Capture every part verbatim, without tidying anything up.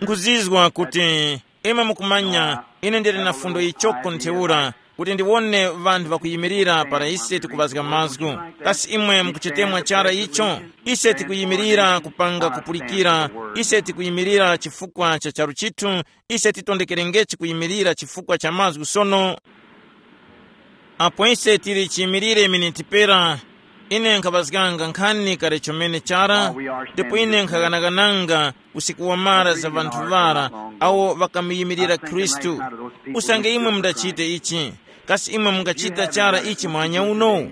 Nkuzizwa kuti imwe mukumanya, ine ndili na fundo yichoko ntheura, kuti ndiwone ŵanthu ŵakuyimirira para ise tikuŵazga mazgu. Kasi imwe mukuchitemwa chara icho? Ise tikuyimirira kupanga kupulikira. Ise tikuyimirira chifukwa cha charu chithu. Ise titondekerengechi kuyimirira chifukwa cha mazgu sono. Apo ise tili chiyimirire miniti pera, ine nkhaŵazganga nkhani kale chomene chara, ndipo ine nkhaghanaghananga usiku wamara za ŵanthu ŵara awo ŵakamuyimirira Khristu. Usange imwe mundachite ichi, kasi imwe mungachita chara ichi mwanya uno?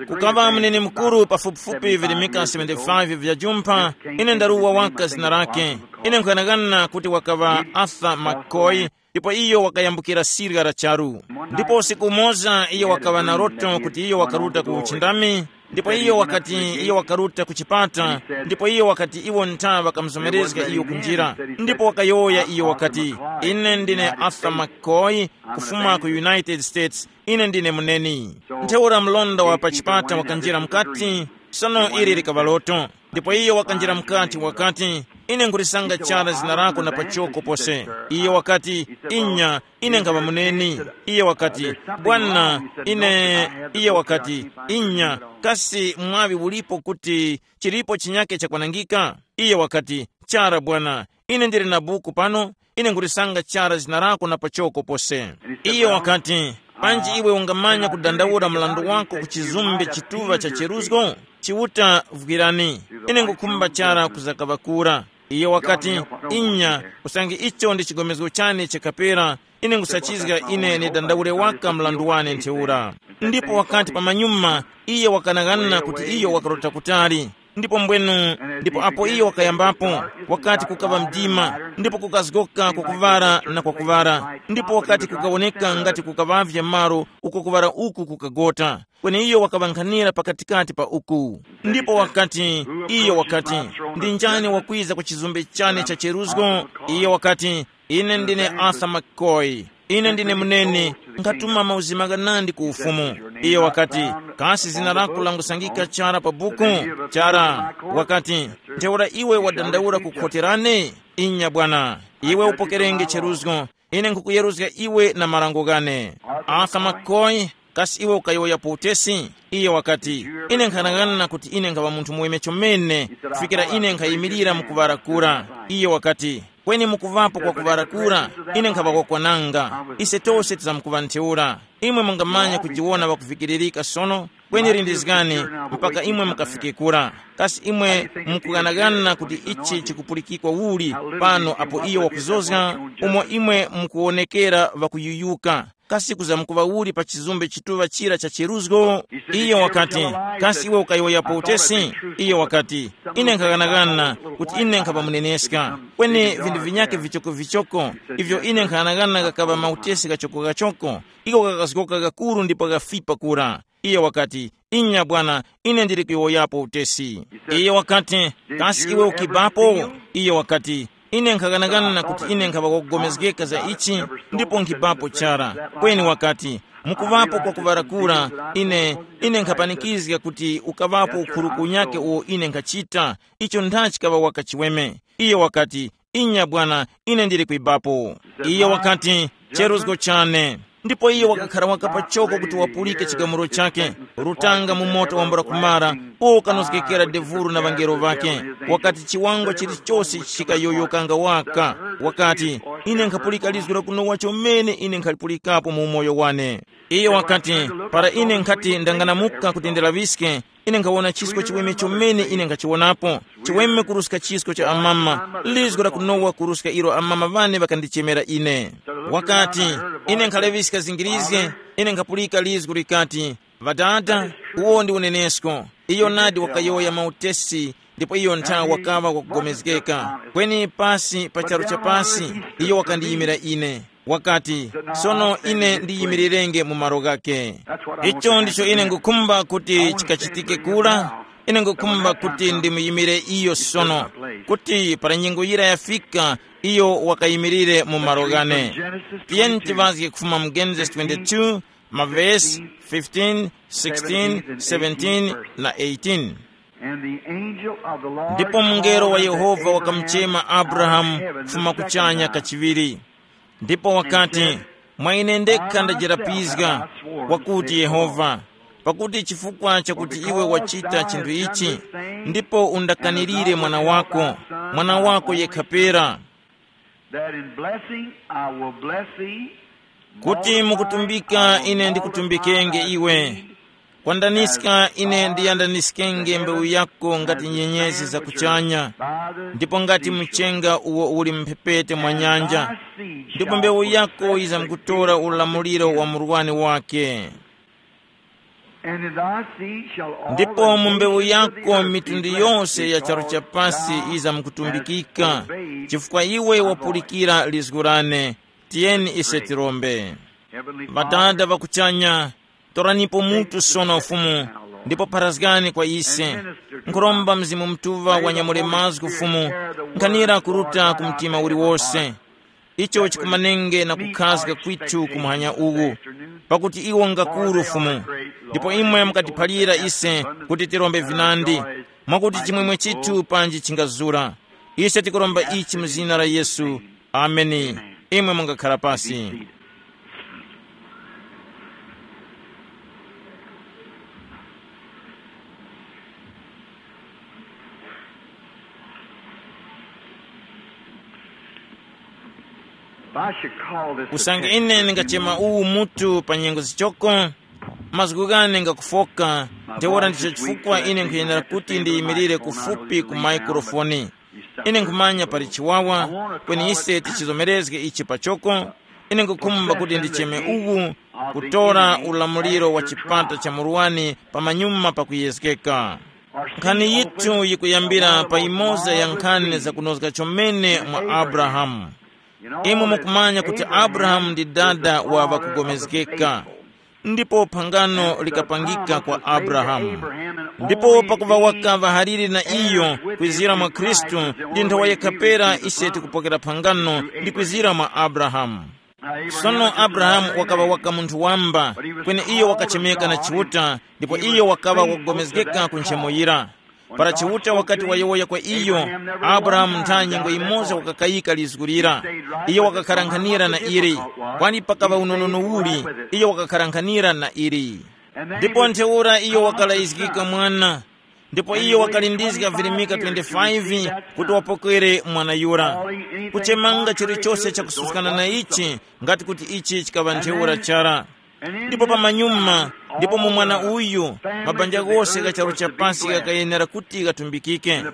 Kukaŵa munene mukuru pafupifupi virimika seventy-five vya jumpha. Ine ndaruwa waka zina lake. Ine nkughanagana kuti wakaŵa Arthur McCoy, ndipo iyo wakayambukira sirya la charu. Ndipo usiku umoza iyo wakaŵa na loto kuti iyo wakaruta ku uchindami, ndipo iyo wakati iyo wakaruta ku chipata, ndipo iyo wakati iwo ntha ŵakamuzomerezga iyo kunjira. Ndipo wakayowoya iyo wakati, ine ndine Arthur McCoy, kufuma ku United States. Ine ndine muneni. Ntheura mlonda wa pa chipata wakanjira mukati. Sono ili likaŵa loto. Ndipo iyo wakanjira mukati wakati, ine nkulisanga chara zina lako na pachoko pose. Iyo wakati, inya, ine nkhaŵa muneni. Iyo wakati, bwana, ine. Iyo wakati, inya, kasi mwaŵi ulipo kuti chilipo chinyake chakwanangika? Iyo wakati, chara bwana, ine ndili na buku pano. Ine nkulisanga chara zina lako na pachoko pose. Iyo wakati, panji iwe ungamanya kudandaula mlandu wako ku chizumbe chituŵa cha cheruzgo? Chiuta vwirani. Ine ngukhumba chara kuzakaŵa kura. Iyo wakati, inya, usange icho ndi chigomezgo chane chakapera, ine ngusachizga ine nidandaule waka mlandu wane ntheura. Ndipo wakati pamanyuma, iye wakanang'ana kuti iyo wakarota kutali. Ndipo mbwenu, ndipo apo iyo wakayambapo, wakati kukaŵa mdima, ndipo kukazgoka kwakuŵara na kwakuŵara, ndipo wakati kukawoneka ngati kukaŵavye malo uko kuŵara uku kukagota. Kweni iyo wakaŵankhanira pakatikati pa uku. Ndipo wakati, iyo wakati, ndi njani wakwiza ku chizumbe chane cha cheruzgo? Iyo wakati, ine ndine Arthur McCoy. Ine ndine munene, nkhatuma mauzima ghanandi ku ufumu. Iyo wakati, kasi zina lako langusangika chara pa buku? Chara. Wakati, ntheura iwe wadandaula kukhoterane? Inya bwana, iwe upokerenge cheruzgo. Ine nkhukuyeruzga iwe na marango ghane. Arthur McCoy, kasi iwe ukayowoyapo utesi? Iye wakati, ine nkhanang'ana kuti ine nkhaŵa munthu muweme chomene, kufikira ine nkhayimirira mu kuŵara kura. Iye wakati, kweni mukuŵapo kwa kuŵara kura, ine nkhaŵa wakwananga. Ise tose tizamkuŵa ntheura. Imwe mungamanya kujiwona ŵakuvikiririka sono, kweni lindizgani mpaka imwe mukafike kura. Kasi imwe mukughanagana kuti ichi chikupulikikwa uli pano apo iyo wakuzozga, umo imwe mukuwonekera ŵakuyuyuka? Kasi kuzamkuŵa uli pa chizumbe chituŵa chira cha cheruzgo? Iyo wakati, kasi iwe ukayowoyapo utesi? Iyo wakati, ine nkhaghanaghana kuti ine nkhaŵa muneneska, kweni vinthu vinyakhe vichokovichoko ivyo ine nkhaghanaghana ghakaŵa mautesi ghachokogachoko, iko ghakazgoka ghakuru ndipo ghafipa kura. Iye wakati, inya bwana, ine ndili kuyowoyapo utesi. Iye wakati, kasi iwe ukibapo? Iye wakati, ine nkhaghanaghana kuti ine nkhaŵa wakugomezgeka za ichi, ndipo nkhibapo chara. Kweni wakati, mukuŵapo kwa kuŵarakura, ine, ine nkhapanikizga kuti ukaŵapo ukhuluku unyakhe uwo ine nkhachita, icho ntha chikaŵa waka chiweme. Iye wakati, inya bwana, ine ndili kwibapo. Iye wakati, cheruzgo chane. Ndipo iyo wakakhara waka pachoko kuti wapulike chigamulo chakhe. Rutanga mu moto wambula kumara, uwo ukanozgekera devuru na ŵangelo ŵakhe. Wakati chiwango chilichose chikayoyokanga waka. Wakati, ine nkhapulika lizgu la kunowa chomene ine nkhalipulikapo mu umoyo wane. Iyo wakati, para ine nkhati ndanganamuka kuti ndilaŵiske, ine nkhawona chisko chiweme chomene ine nkhachiwonapo, chiweme kuruska chisko cha amama, lizgu la kunowa kuruska ilo amama ŵane ŵakandichemera ine. Wakati, ine nkhaleŵiska zingirizge, ine nkhapulika lizgu likati, ŵadada, uwo ndi unenesko. Iyo nadi wakayowoya mautesi, ndipo iyo ntha wakaŵa wakugomezgeka. Kweni pasi pa charu cha pasi, iyo wakandiyimira ine. Wakati, sono ine ndiyimirirenge mu malo ghakhe. Icho ndicho ine ngukhumba kuti chikachitike kura. Ine ngukhumba kuti ndimuyimire iyo sono, kuti para nyengo yira yafika, iyo wakayimirire mu malo ghane. Tiyeni tiŵazge kufuma mu Genesis twenty-two, mavesi fifteen, sixteen, seventeen na eighteen. And the angel of the Lord Ndipo mungelo wa called unto Yehova Abraham wakamuchema from Abrahamu heaven the kufuma second kuchanya time. Kachiŵiri. Ndipo wakati, "Mwa ine ndekha ndajerapizga, wakuti Yehova, pakuti chifukwa chakuti iwe wachita chinthu ichi, ndipo undakanirire mwana wako, mwana wako yekha pera." That in blessing I will bless thee, kuti multiply, mukutumbika I will ine ndikutumbikenge multiply thy iwe seed. Kwandaniska ine ndiyandaniskenge mbewu yako ngati nyenyezi za kuchanya, ndipo ngati mchenga uwo uli mphepete mwa nyanja, ndipo mbewu yako yizamkutora ulamuliro wa murwani wake. And in thy seed shall all ndipo the mu mbewu nations of the yako earth mitundu be blessed, yonse ya charu cha because pasi thou yizamkutumbikika, hast obeyed chifukwa iwe wapulikira lizgu lane. Tiyeni ise tirombe. Heavenly Father, ŵadada ŵakuchanya, toranipo mutu sono Ufumu, ndipo pharazgani kwa ise. Nkhuromba Mzimu Mutuŵa wanyamule mazgu Ufumu, nkhanira kuruta ku mtima uliwose. Icho chikumanenge na kukhazga kwithu ku muhanya uwu, pakuti iwo ngakuru Ufumu, ndipo imwe mukatiphalira ise kuti tirombe vinandi, mwakuti chimwemwe chithu panji chingazura. Ise tikuromba ichi mu zina la Yesu. Ameni. Imwe mungakhala pasi. If I should call this usange attention ine to ndingachema uwu mutu pa nyengo zichoko, mazgu ghane ngakufoka. Ntheura ndicho chifukwa ine nkhuyenera kuti ndiyimirire kufupi ku maikrofoni. Ine nkhumanya pali chiwawa, kweni ise tichizomerezge ichi pachoko. Ine nkhukhumba kuti ndicheme uwu, kutora ulamuliro wa chipata cha murwani pamanyuma pakuyezgeka. Nkhani yithu yikuyambira pa imoza ya nkhani zakunozga chomene mwa Abrahamu. Imwe mukumanya kuti Abrahamu ndi dada wa ŵakugomezgeka. Ndipo phangano likapangika kwa Abrahamu. Ndipo pakuva wakaŵa haliri na iyo kwizira mwa Khristu, ndi nthawa yekha pera ise tikupokera phangano ndi kwizira mwa Abrahamu. Sono Abrahamu wakaŵa waka munthu wamba, kweni iyo wakachemeka na Chiuta, ndipo iyo wakaŵa wakugomezgeka ku nchemo yira. Para Chiuta wakati wayowoya kwa iyo, Abrahamu ntha nyengo yimoza wakakayika lizgu lira. Iyo wakakharanghanira na ili. Kwani pakaŵa unonono uli, iyo wakakharanghanira na ili. Ndipo ntheura iyo wakalayizgika mwana. Ndipo iyo wakalindizga virimika twenty-five kuti wapokere mwana yura. Kuchemanga chilichose chakususkana na ichi, ngati kuti ichi chikaŵa ntheura chara. Ndipo pamanyuma, ndipo mu mwana uyu, mabanja ghose gha charu cha pasi ghakayenera kuti ghatumbikike.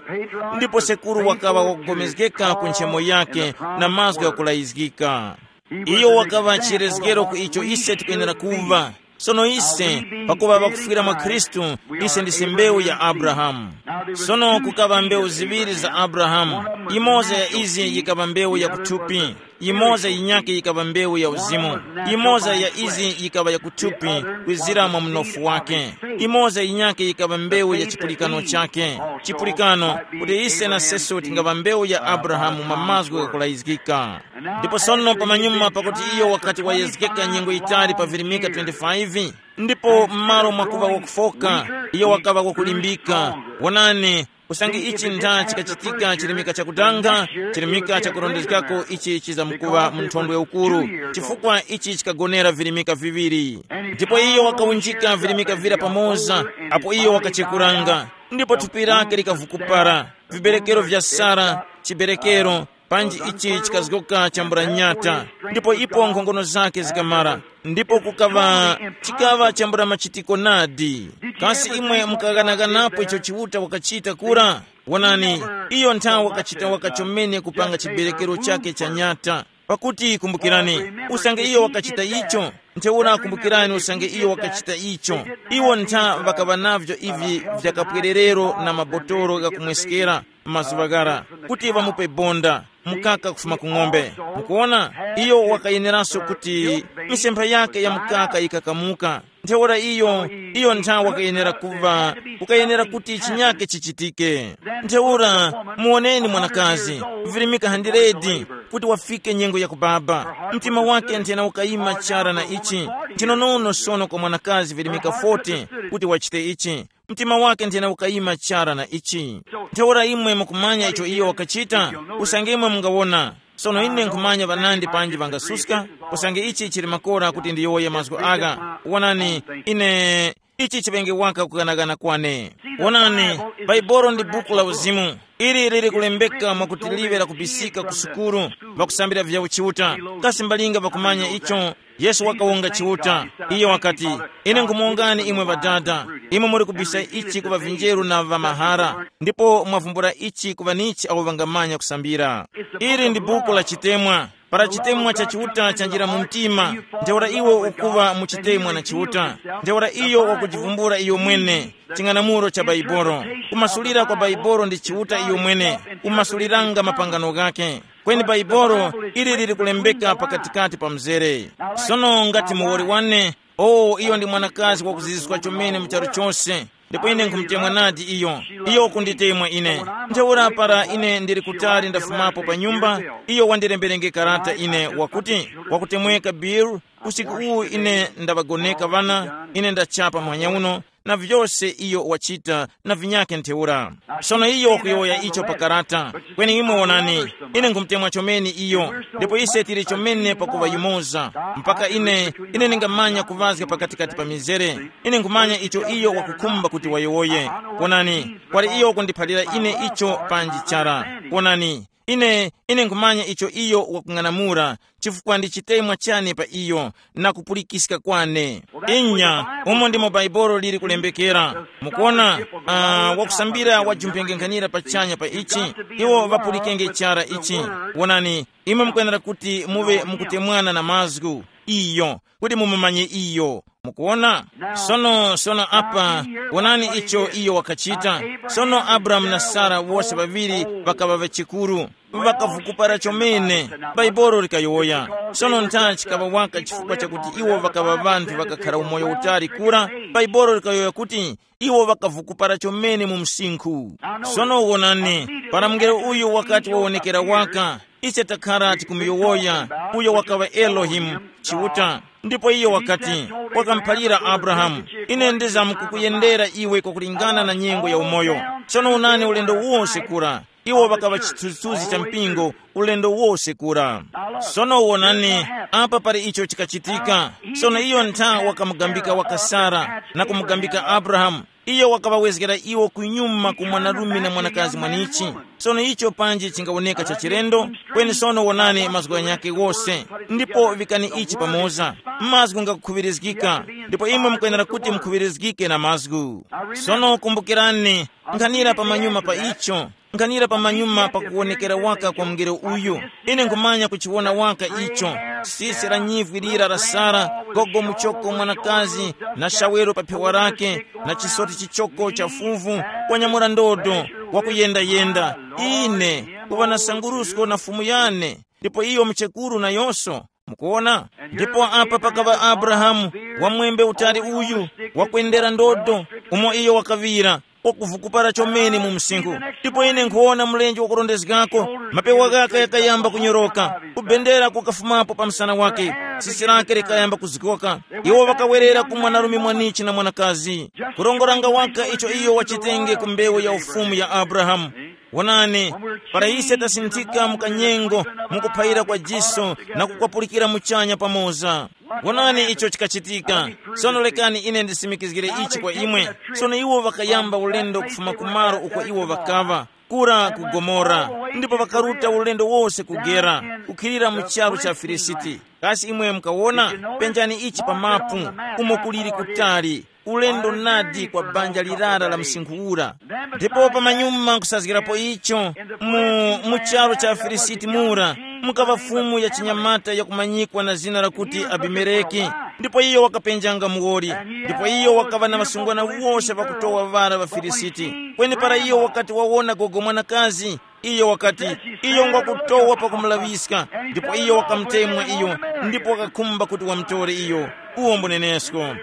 Ndipo sekuru wakaŵa wakugomezgeka ku nchemo yake na mazgu ghakulayizgika. Iyo wakaŵa chirezgero ku icho ise tikuyenera kuva. Sono ise, pakuva ŵakufwira mwa Khristu, ise ndise mbewu ya Abrahamu. Sono kukaŵa mbewu ziŵiri za Abrahamu. Imoza ya izi yikaŵa mbewu ya kuthupi. Imoza yinyakhe yikaŵa mbewu ya uzimu. Imoza ya izi yikaŵa ya kuthupi kwizira mwa mnofu wake. Imoza yinyakhe yikaŵa mbewu ya chipulikano chake. Chipulikano, kuti ise na seso tingaŵa mbewu ya Abrahamu mwa mazgu ghakulayizgika. Ndipo sono pamanyuma pakuti iyo wakati wayezgeka nyengo yitali pa virimika twenty-five, ndipo m'malo mwakuŵa wakufoka, iyo wakaŵa wakulimbika. Wonani, usange ichi ntha chikachitika chirimika chakutanga, chirimika chakurondezgako ichi chizamkuŵa mu nthondwe ukuru, chifukwa ichi chikagonera virimika viŵiri. Ndipo iyo wakawunjika virimika vira pamoza, apo iyo wakachekuranga, ndipo thupi lake likavukupara, viberekero vya Sara, chiberekero, panji ichi chikazgoka chambula nyata, ndipo ipo nkhongono zake zikamara, ndipo kukaŵa, chikaŵa chambula machitiko nadi. Kasi imwe mukaghanaghanapo icho Chiuta wakachita kura? Wonani, iyo nthawi wakachita waka chomene kupanga chiberekero chake cha nyata. Pakuti kumbukirani, usange iyo wakachita icho, ntheura kumbukirani usange iyo wakachita icho. Iwo ntha ŵakaŵa navyo ivi vya kapwererero na mabotolo ghakumweskera, mazuŵa ghara, kuti ŵamupe bonda, mukaka kufuma ku ng'ombe. Mukuona, iyo wakayeneranso kuti misempha yake ya mukaka yikakamuka. Ntheura iyo, iyo nthawi wakayenera kuva, kukayenera kuti chinyake chichitike. Ntheura, muwoneni mwanakazi, virimika handiredi, kuti wafike nyengo ya kubaba. Mtima wake nthena ukayima chara na ichi. Nchinonono sono kwa mwanakazi virimika forty kuti wachite ichi. Mtima wake nthena ukayima chara na ichi. Ntheura imwe mukumanya icho iyo wakachita? Usange imwe mungawona. Sono ine nkhumanya ŵanandi panji ŵangasuska, usange ichi chili makora kuti ndiyowoye mazgu agha. Wonani, ine ichi chiŵenge waka kuganagana kwane. Wonani, Baibolo ndi buku la uzimu. Ili lili kulembeka mwakuti liŵe lakubisika ku sukulu, ŵakusambira vya uchiuta. Kasi mbalinga ŵakumanya icho? Yesu wakawonga Chiuta. Iyo wakati, ine nkhumuwongani imwe Ŵadada, imwe muli kubisa ichi ku ŵavinjeru na ŵamahara, ndipo mwavumbula ichi ku ŵanichi awo ŵangamanya kusambira. Ili ndi buku la chitemwa. Para chitemwa cha Chiuta chanjira mu mtima, ntheura iwe ukuŵa mu chitemwa na Chiuta. Ntheura iyo wakujivumbula iyo mwene, ching'anamulo cha Baibolo. Kumasulira kwa Baibolo ndi Chiuta iyo mwene, kumasuliranga mapangano ghake. Kweni Baibolo ili lili kulembeka pakatikati pa mzere. Sono ngati muwoli wane, o iyo ndi mwanakazi wakuziziswa chomene mu charu chose, ndipo ine nkhumutemwa nadi iyo. Iyo wakunditemwa ine. Ntheura para ine ndili kutali ndafumapo pa nyumba, iyo wandilemberenge karata ine wakuti, wakutemweka Bill, usiku uwu ine ndaŵagoneka ŵana, ine ndachapa muhanya uno, na vyose iyo wachita na vinyakhe ntheura. Sono iyo wakuyowoya icho pa karata. Kweni imwe wonani, ine nkhumutemwa chomene iyo, ndipo ise tili chomene pakuŵa yumoza, mpaka ine, ine ndingamanya kuŵazga pakatikati pa mizere. Ine nkhumanya icho iyo wakukhumba kuti wayowoye. Wonani, kwali iyo wakundiphalira ine icho panji chara. Wonani, ine, ine nkhumanya icho iyo wakung'anamula, chifukwa ndi chitemwa chane pa iyo, na kupulikiska kwane. Inya, umo ndimo Baibolo lili kulembekera. Mukuona, uh, wakusambira wajumphengenkhanira pachanya pa ichi, iwo ŵapulikenge chara ichi. Wonani, imwe mukwenera kuti muŵe mukutemwana na mazgu, iyo, kuti mumumanye iyo. Mukuona? Sono, sono apa, wonani icho iyo wakachita. Sono Abrahamu na Sara wose ŵaŵiri ŵakaŵa ŵachikuru, ŵakavukupara chomene. Baibolo likayowoya. Sono ntha chikaŵa waka chifukwa chakuti iwo ŵakaŵa ŵanthu ŵakakhara umoyo utali kura? Baibolo likayowoya kuti iwo ŵakavukupara chomene mu msinkhu. Sono wonani, para mungelo uyu wakati wawonekera waka, ise takhara tikumuyowoya, uyo wakaŵa Elohimu, Chiuta. Ndipo iyo wakati, wakamuphalira Abrahamu, ine ndizamkukuyendera iwe kwakulingana na nyengo ya umoyo. Sono wonani ulendo wose kura, iwo ŵakaŵa chithunzithunzi cha mpingo, ulendo wose kura. Sono wonani, apa pali icho chikachitika. Sono iyo ntha wakamugambika waka Sara na kumugambika Abrahamu. Iyo wakaŵawezgera iwo kunyuma ku mwanarume na mwanakazi mwanichi. Sono icho panji chingawoneka cha chilendo, kweni sono wonani mazgu ghanyakhe ghose, ndipo vikani ichi pamoza. Mazgu ngakukhuŵirizgika, ndipo imwe mukwenera kuti mukhuŵirizgike na mazgu. Sono kumbukirani, nkhanira pamanyuma pa icho, nkhanira pamanyuma pa kuwonekera waka kwa mungelo uyu. Ine nkhumanya kuchiwona waka icho, sisi la nyivwi lira la Sara, gogo muchoko mwanakazi, na shawero pa phewa lake, na chisoti chichoko cha fuvu, wanyamula ndodo, wakuyenda-yenda. Ine, kuŵa na sangurusko na fumu yane, ndipo iyo muchekuru nayonso. Mukuona? Ndipo apa pakaŵa Abrahamu, wamwembe utali uyu, wakwendera ndodo, umo iyo wakaŵira, wakuvukupara chomene mu msinkhu. Ndipo ine nkhuwona mlenje wakurondezgako, mapewa ghake ghakayamba kunyoroka, kubendera kukafumapo pa msana wake, tsitsi lake likayamba kuzgoka. Iwo ŵakawerera ku mwanarume mwanichi na mwanakazi, kurongoranga waka icho iyo wachitenge ku mbewu ya ufumu ya Abrahamu. Wonani, para ise tasinthika mu kanyengo, mu kuphayira kwa jiso na kukwapulikira muchanya pamoza. Wonani icho chikachitika. Sono lekani ine ndisimikizgire ichi kwa imwe. Sono iwo ŵakayamba ulendo kufuma kumalo uko iwo ŵakaŵa, kura ku Gomora, ndipo ŵakaruta ulendo wose ku Gera, kukhilira mu charu cha Filisiti. Kasi imwe mukawona? Penjani ichi pa mapu, umo kuliri kutali, ulendo nadi kwa banja lirara la msinkhu ura. Ndipo pamanyuma kusazgirapo icho, mu, mu charu cha Afilisiti mura, mukaŵa fumu ya chinyamata yakumanyikwa na zina lakuti Abimeleki. Ndipo iyo wakapenjanga muwoli, ndipo iyo wakaŵa na ŵasungwana wose ŵakutowa ŵara ŵa Filisiti. Kweni para iyo wakati wawona gogo mwanakazi, iyo wakati, iyo ngwakutowa pakumulaŵiska, ndipo iyo wakamutemwa iyo, ndipo wakakhumba kuti wamutore iyo. Uwo mbunenesko.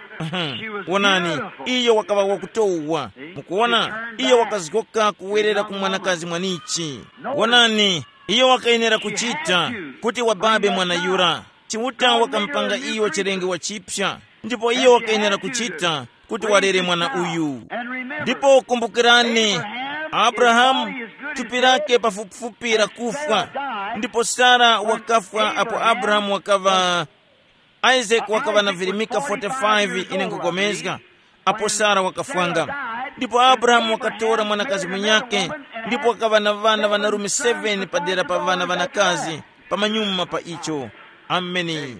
Wonani, iyo wakaŵa wakutowa. Mukuwona, iyo wakazgoka kuwerera ku mwanakazi mwanichi. Wonani, iyo wakayenera kuchita kuti wababe mwana yura. Chiuta wakamupanga iyo chilenge wachipsa, ndipo iyo wakayenera kuchita kuti walere mwana uyu. Ndipo kumbukirani, Abrahamu thupi lake pafupifupi lakufwa, ndipo Sara wakafwa apo Abrahamu wakaŵa, Isaac wakaŵa na virimika forty-five, ine nkupulikana, apo Sara wakafwanga. Ndipo Abrahamu wakatora mwanakazi munyakhe, ndipo wakaŵa na ŵana ŵanarume seven padera pa ŵana ŵanakazi, pamanyuma pa icho. Ameni.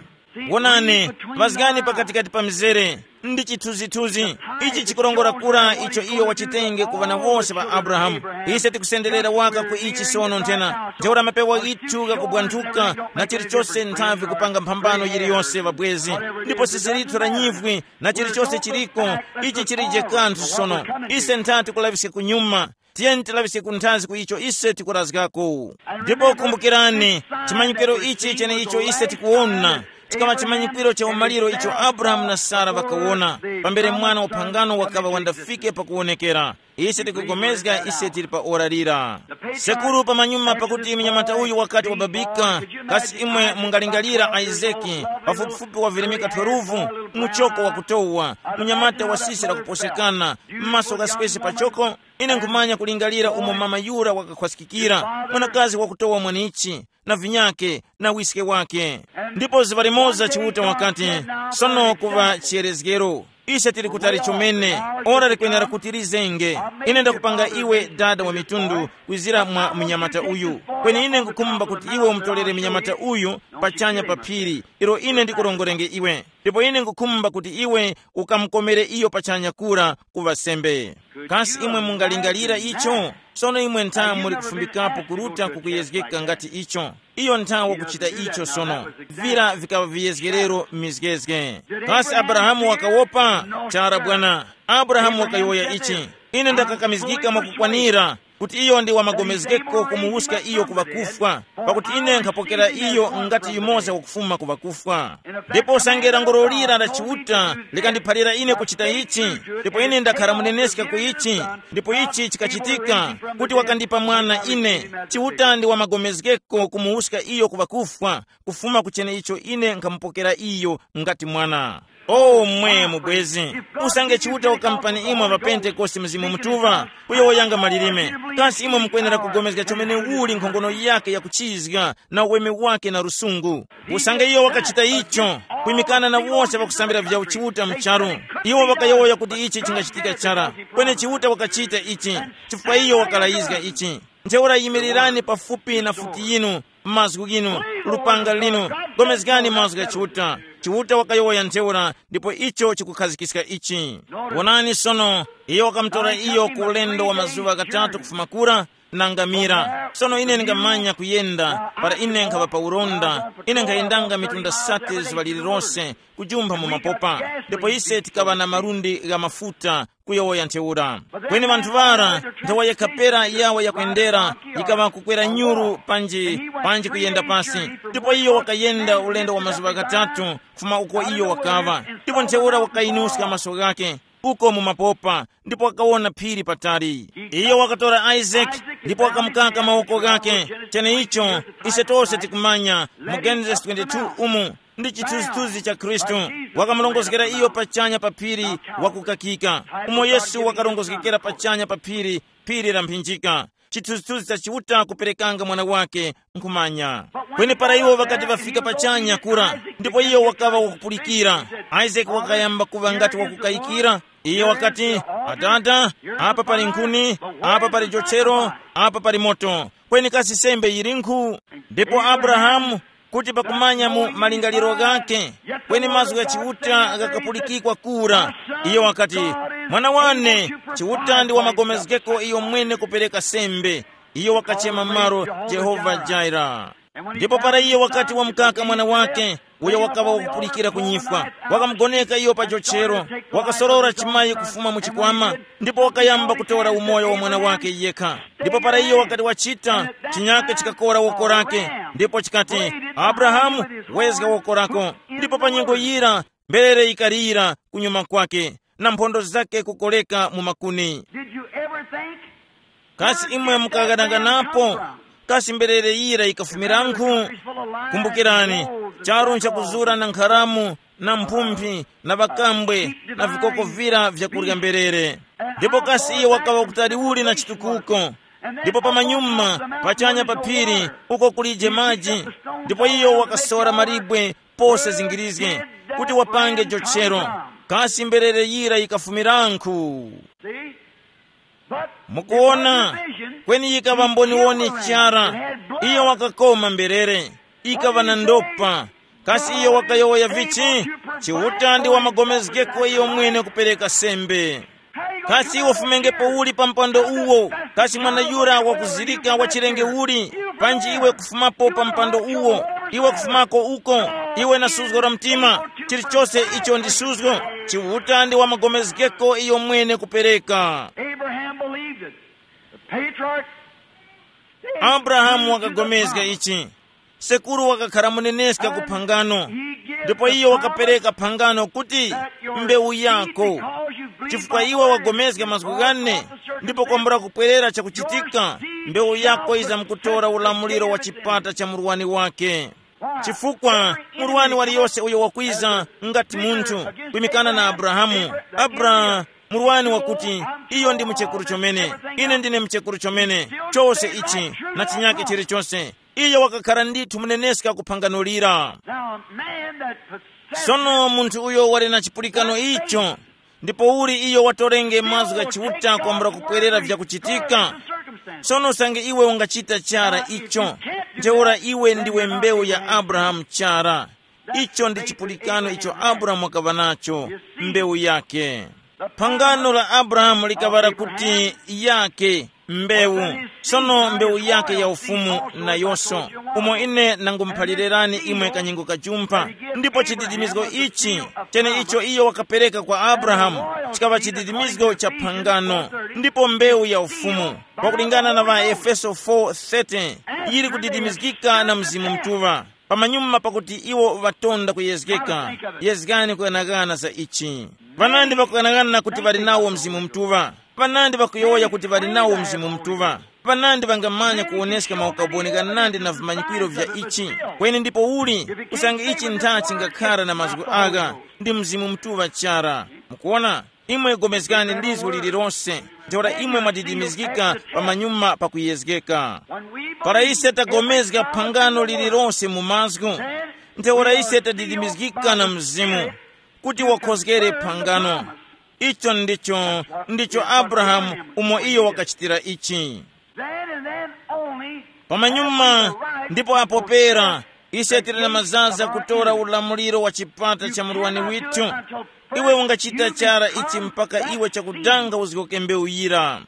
Wonani, ŵazgani pakatikati pa mizere ndi chithunzithunzi. Ichi chikurongora kura icho iyo wachitenge ku ŵana wose ŵa Abrahamu. Ise tikusenderera waka ku ichi sono nthena, ntheura mapewa ghithu ghakubwanthuka na chilichose nthavi kupanga mphambano yiliyose ŵabwezi, ndipo sisi lithu la nyivwi na chilichose chiliko, ichi chilije kanthu sono. Ise ntha tikulaŵiske kunyuma. Tiyeni tilaŵiske kunthazi ku icho ise tikurazgako. Ndipo kumbukirani, chimanyikiro ichi cheneicho ise tikuwona chikaŵa chimanyikiro cha umaliro icho Abrahamu na Sara ŵakawona, pambere mwana wa phangano wakaŵa wandafike pakuwonekera. Ise tikupulikana ise tili pa ora lira. Sekuru pamanyuma pakuti munyamata uyu wakati wababika, kasi imwe mungalingalira Isaki, pafupifupi wa virimika twelve, muchoko wakutowa, munyamata wa sisi lakuposekana, m'maso ghaspesi pachoko? Ine nkhumanya kulingalira umo mama yura wakakhwaskikira, mwanakazi wakutowa mwanichi, na vinyake, na wiske wake. Ndipo zuŵa limoza Chiuta wakati, sono kuŵa chiyerezgero. Ise tili kutali chomene, ora likwenera kuti lizenge. Ine ndakupanga iwe dada wa mitundu kwizira mwa mnyamata uyu. Kweni ine nkukhumba kuti iwe umutolere mnyamata uyu pachanya pa phiri, ilo ine ndikurongorenge iwe. Ndipo ine nkukhumba kuti iwe ukamukomere iyo pachanya kura kuŵa sembe. Kasi imwe mungalingalira icho? Sono imwe ntha muli kufumbikapo kuruta kukuyezgeka ngati icho. Iyo ntha wakuchita icho sono. Vira vikaŵa viyezgerero m'mizgezge. Kasi Abrahamu wakawopa? Chara bwana. Abrahamu wakayowoya ichi, ine ndakakamizgika mwakukwanira kuti iyo ndi wamagomezgeko kumuwuska iyo ku ŵakufwa, pakuti ine nkhapokera iyo ngati yumoza wakufuma ku ŵakufwa. Ndipo usange languro lira la Chiuta likandiphalira ine kuchita ichi, ndipo ine ndakhara muneneska ku ichi, ndipo ichi chikachitika, kuti wakandipa mwana ine, Chiuta ndi wamagomezgeko kumuwuska iyo ku ŵakufwa, kufuma ku cheneicho ine nkhamupokera iyo ngati mwana. O mwe mubwezi, usange Chiuta wakampani imwe pa Pentekoste Mzimu Mutuŵa, kuyowoyanga malilime, kasi imwe mukwenera kugomezga chomene uli nkhongono yake yakuchizga na uweme wake na lusungu? Usange iyo wakachita icho, kwimikana na wose ŵakusambira vya uchiuta mu charu, iwo ŵakayowoya kuti ichi chingachitika chara. Kweni Chiuta wakachita ichi, chifukwa iyo wakalayizga ichi. Ntheura yimirirani pafupi na futi yinu, mazgu ghinu, lupanga linu, gomezgani mazgu gha Chiuta. Chiuta wakayowoya ntheura, ndipo icho chikukhazikiska ichi. Wonani sono, iyo wakamutora iyo ku ulendo wa mazuŵa ghatatu kufuma kura, na ngamira. Sono ine ndingamanya kuyenda, para ine nkhaŵa pa uronda, ine nkhayendanga mitunda sate zuŵa lililose, kujumpha mu mapopa. Ndipo ise tikaŵa na malundi gha mafuta, kuyowoya ntheura. Kweni ŵanthu ŵara, nthawa yekha pera yawo yakwendera, yikaŵa kukwera nyuru panji, panji kuyenda pasi. Ndipo iyo wakayenda ulendo wa mazuŵa ghatatu, kufuma uko iyo wakaŵa. Ndipo ntheura wakayinuska maso ghake, uko mu mapopa, ndipo wakawona phiri patali. Iyo wakatora Isaac, ndipo wakamukaka mawoko ghake. Cheneicho, ise tose tikumanya, mu Genesis twenty-two umu, ndi chithunzithunzi cha Khristu. Wakamurongozgera iyo pachanya pa phiri wakukakika, umo Yesu wakarongozgekera pachanya pa phiri, phiri la mphinjika, chithunzithunzi cha Chiuta kuperekanga mwana wake nkhumanya. Kweni para iwo ŵakati ŵafika pachanya kura, ndipo iyo wakaŵa wakupulikira, Isaac wakayamba kuŵa ngati wakukayikira. Iyo wakati, Adada, apa pali nkhuni, apa pali jochero, apa pali moto, kweni kasi sembe yilinkhu? Ndipo Abrahamu, kuti pakumanya mu malingaliro ghakhe, kweni mazgu gha Chiuta ghakapulikikwa kura. Iyo wakati, mwana wane, Chiuta ndi wamagomezgeko iyo mwene kupereka sembe. Iyo wakachema malo Jehova Jaira. Ndipo para iyo wakati wamukaka mwana wake, uyo wakaŵa wakupulikira kunyifwa, wakamugoneka iyo pa jochero, wakasorora chimayi kufuma mu chikwama, ndipo wakayamba kutora umoyo wa mwana wake yekha. Ndipo para iyo wakati wachita, chinyake chikakora woko lake, ndipo chikati, Abrahamu, wezga woko lako. Ndipo pa nyengo yira, mberere yikalira kunyuma kwake, na mphondo zake kukoleka mu makuni. Did you ever think? Kasi imwe mukaghanaghanapo? Kasi mberere yira yikafumirankhu? Kumbukirani, Charu nchakuzura na nkharamu, na mphumphi, na ŵakambwe, na vikoko vira vyakurya mberere. Ndipo kasi iyo wakaŵa kutali uli na chitukuko? Ndipo pamanyuma, pachanya pa phiri, uko kulije maji. Ndipo iyo wakasora malibwe pose zingirizge, kuti wapange jochero. Kasi mberere yira yikafumirankhu? See? But mukuona, kweni yikaŵa mboniwoni chara. Iyo wakakoma mberere, ikaŵa na ndopa. Kasi iyo wakayowoya vichi? Chiuta ndi wamagomezgeko iyo mwene kupereka sembe. Kasi iwe ufumengepo uli pa mpando uwo? Kasi mwana yura wakuzirika wa chilenge uli? Panji iwe kufumapo pa mpando uwo, iwe kufumako uko, iwe na suzgo la mtima, chilichose icho ndi suzgo. Chiuta ndi wamagomezgeko iyo mwene kupereka. Abraham believed it. The patriarch, Abrahamu wakagomezga ichi. Sekuru wakakhala muneneska ku phangano, ndipo iyo wakapereka phangano kuti, mbewu yako, chifukwa iwe wagomezga mazgu ghane, ndipo kwambula kupwerera chakuchitika, mbewu yako yizamkutora ulamuliro wa chipata cha murwani wake. Chifukwa murwani waliyose uyo wakwiza ngati munthu kwimikana na Abrahamu, Abra, murwani wakuti, iyo ndi muchekuru chomene, ine ndine muchekuru chomene, chose ichi na chinyake chilichonse. Iyo wakakhala ndithu muneneska ku phangano lira. Now, a man that possesses sono munthu uyo wali na chipulikano icho, ndipo uli iyo watorenge mazgu gha Chiuta kwambula kupwerera vyakuchitika? Sono usange iwe ungachita chara icho, ntheura iwe ndiwe mbewu ya Abrahamu chara. Icho ndi chipulikano icho Abrahamu wakaŵa nacho, mbewu yake. Phangano la Abrahamu likaŵa kuti yake, mbewu, sono mbewu yake ya ufumu nayonso, umo ine nangumuphalirani imwe kanyingo kajumpha. Ndipo chididimizgo ichi, chene icho iyo wakapereka kwa Abrahamu, chikaŵa chididimizgo cha phangano, ndipo mbewu ya ufumu, pakulingana na ŵaEfeso four thirty, yili kudidimizgika na Mzimu Mutuŵa. Pamanyuma pakuti iwo ŵatonda kuyezgeka, yezgani kughanaghana za ichi. Panandi ŵakughanaghana kuti ŵali nawo Mzimu Mutuŵa, panandi ŵakuyowoya kuti ŵali nawo Mzimu Mutuŵa, panandi ŵangamanya kuwoneska maukaboni ghanandi na vimanyikwiro vya ichi. Kweni ndipo uli, usange ichi ntha chingakhara na mazgu agha, ndi Mzimu Mutuŵa chara. Mukuona? Imwe gomezgani lizgu lililose, ntheura imwe mwadidimizgika pamanyuma pakuyezgeka. Para ise tagomezga phangano lililose mu mazgu, ntheura ise tadidimizgika na Mzimu, kuti wakhozgere phangano. Icho ndicho, ndicho Abrahamu umo iyo wakachitira ichi. Then and then only. Pamanyuma, ndipo apo pera, ise tili na mazaza kutora ulamuliro wa chipata cha murwani withu. Iwe ungachita chara ichi mpaka iwe chakudanga uzgoke mbewu yira.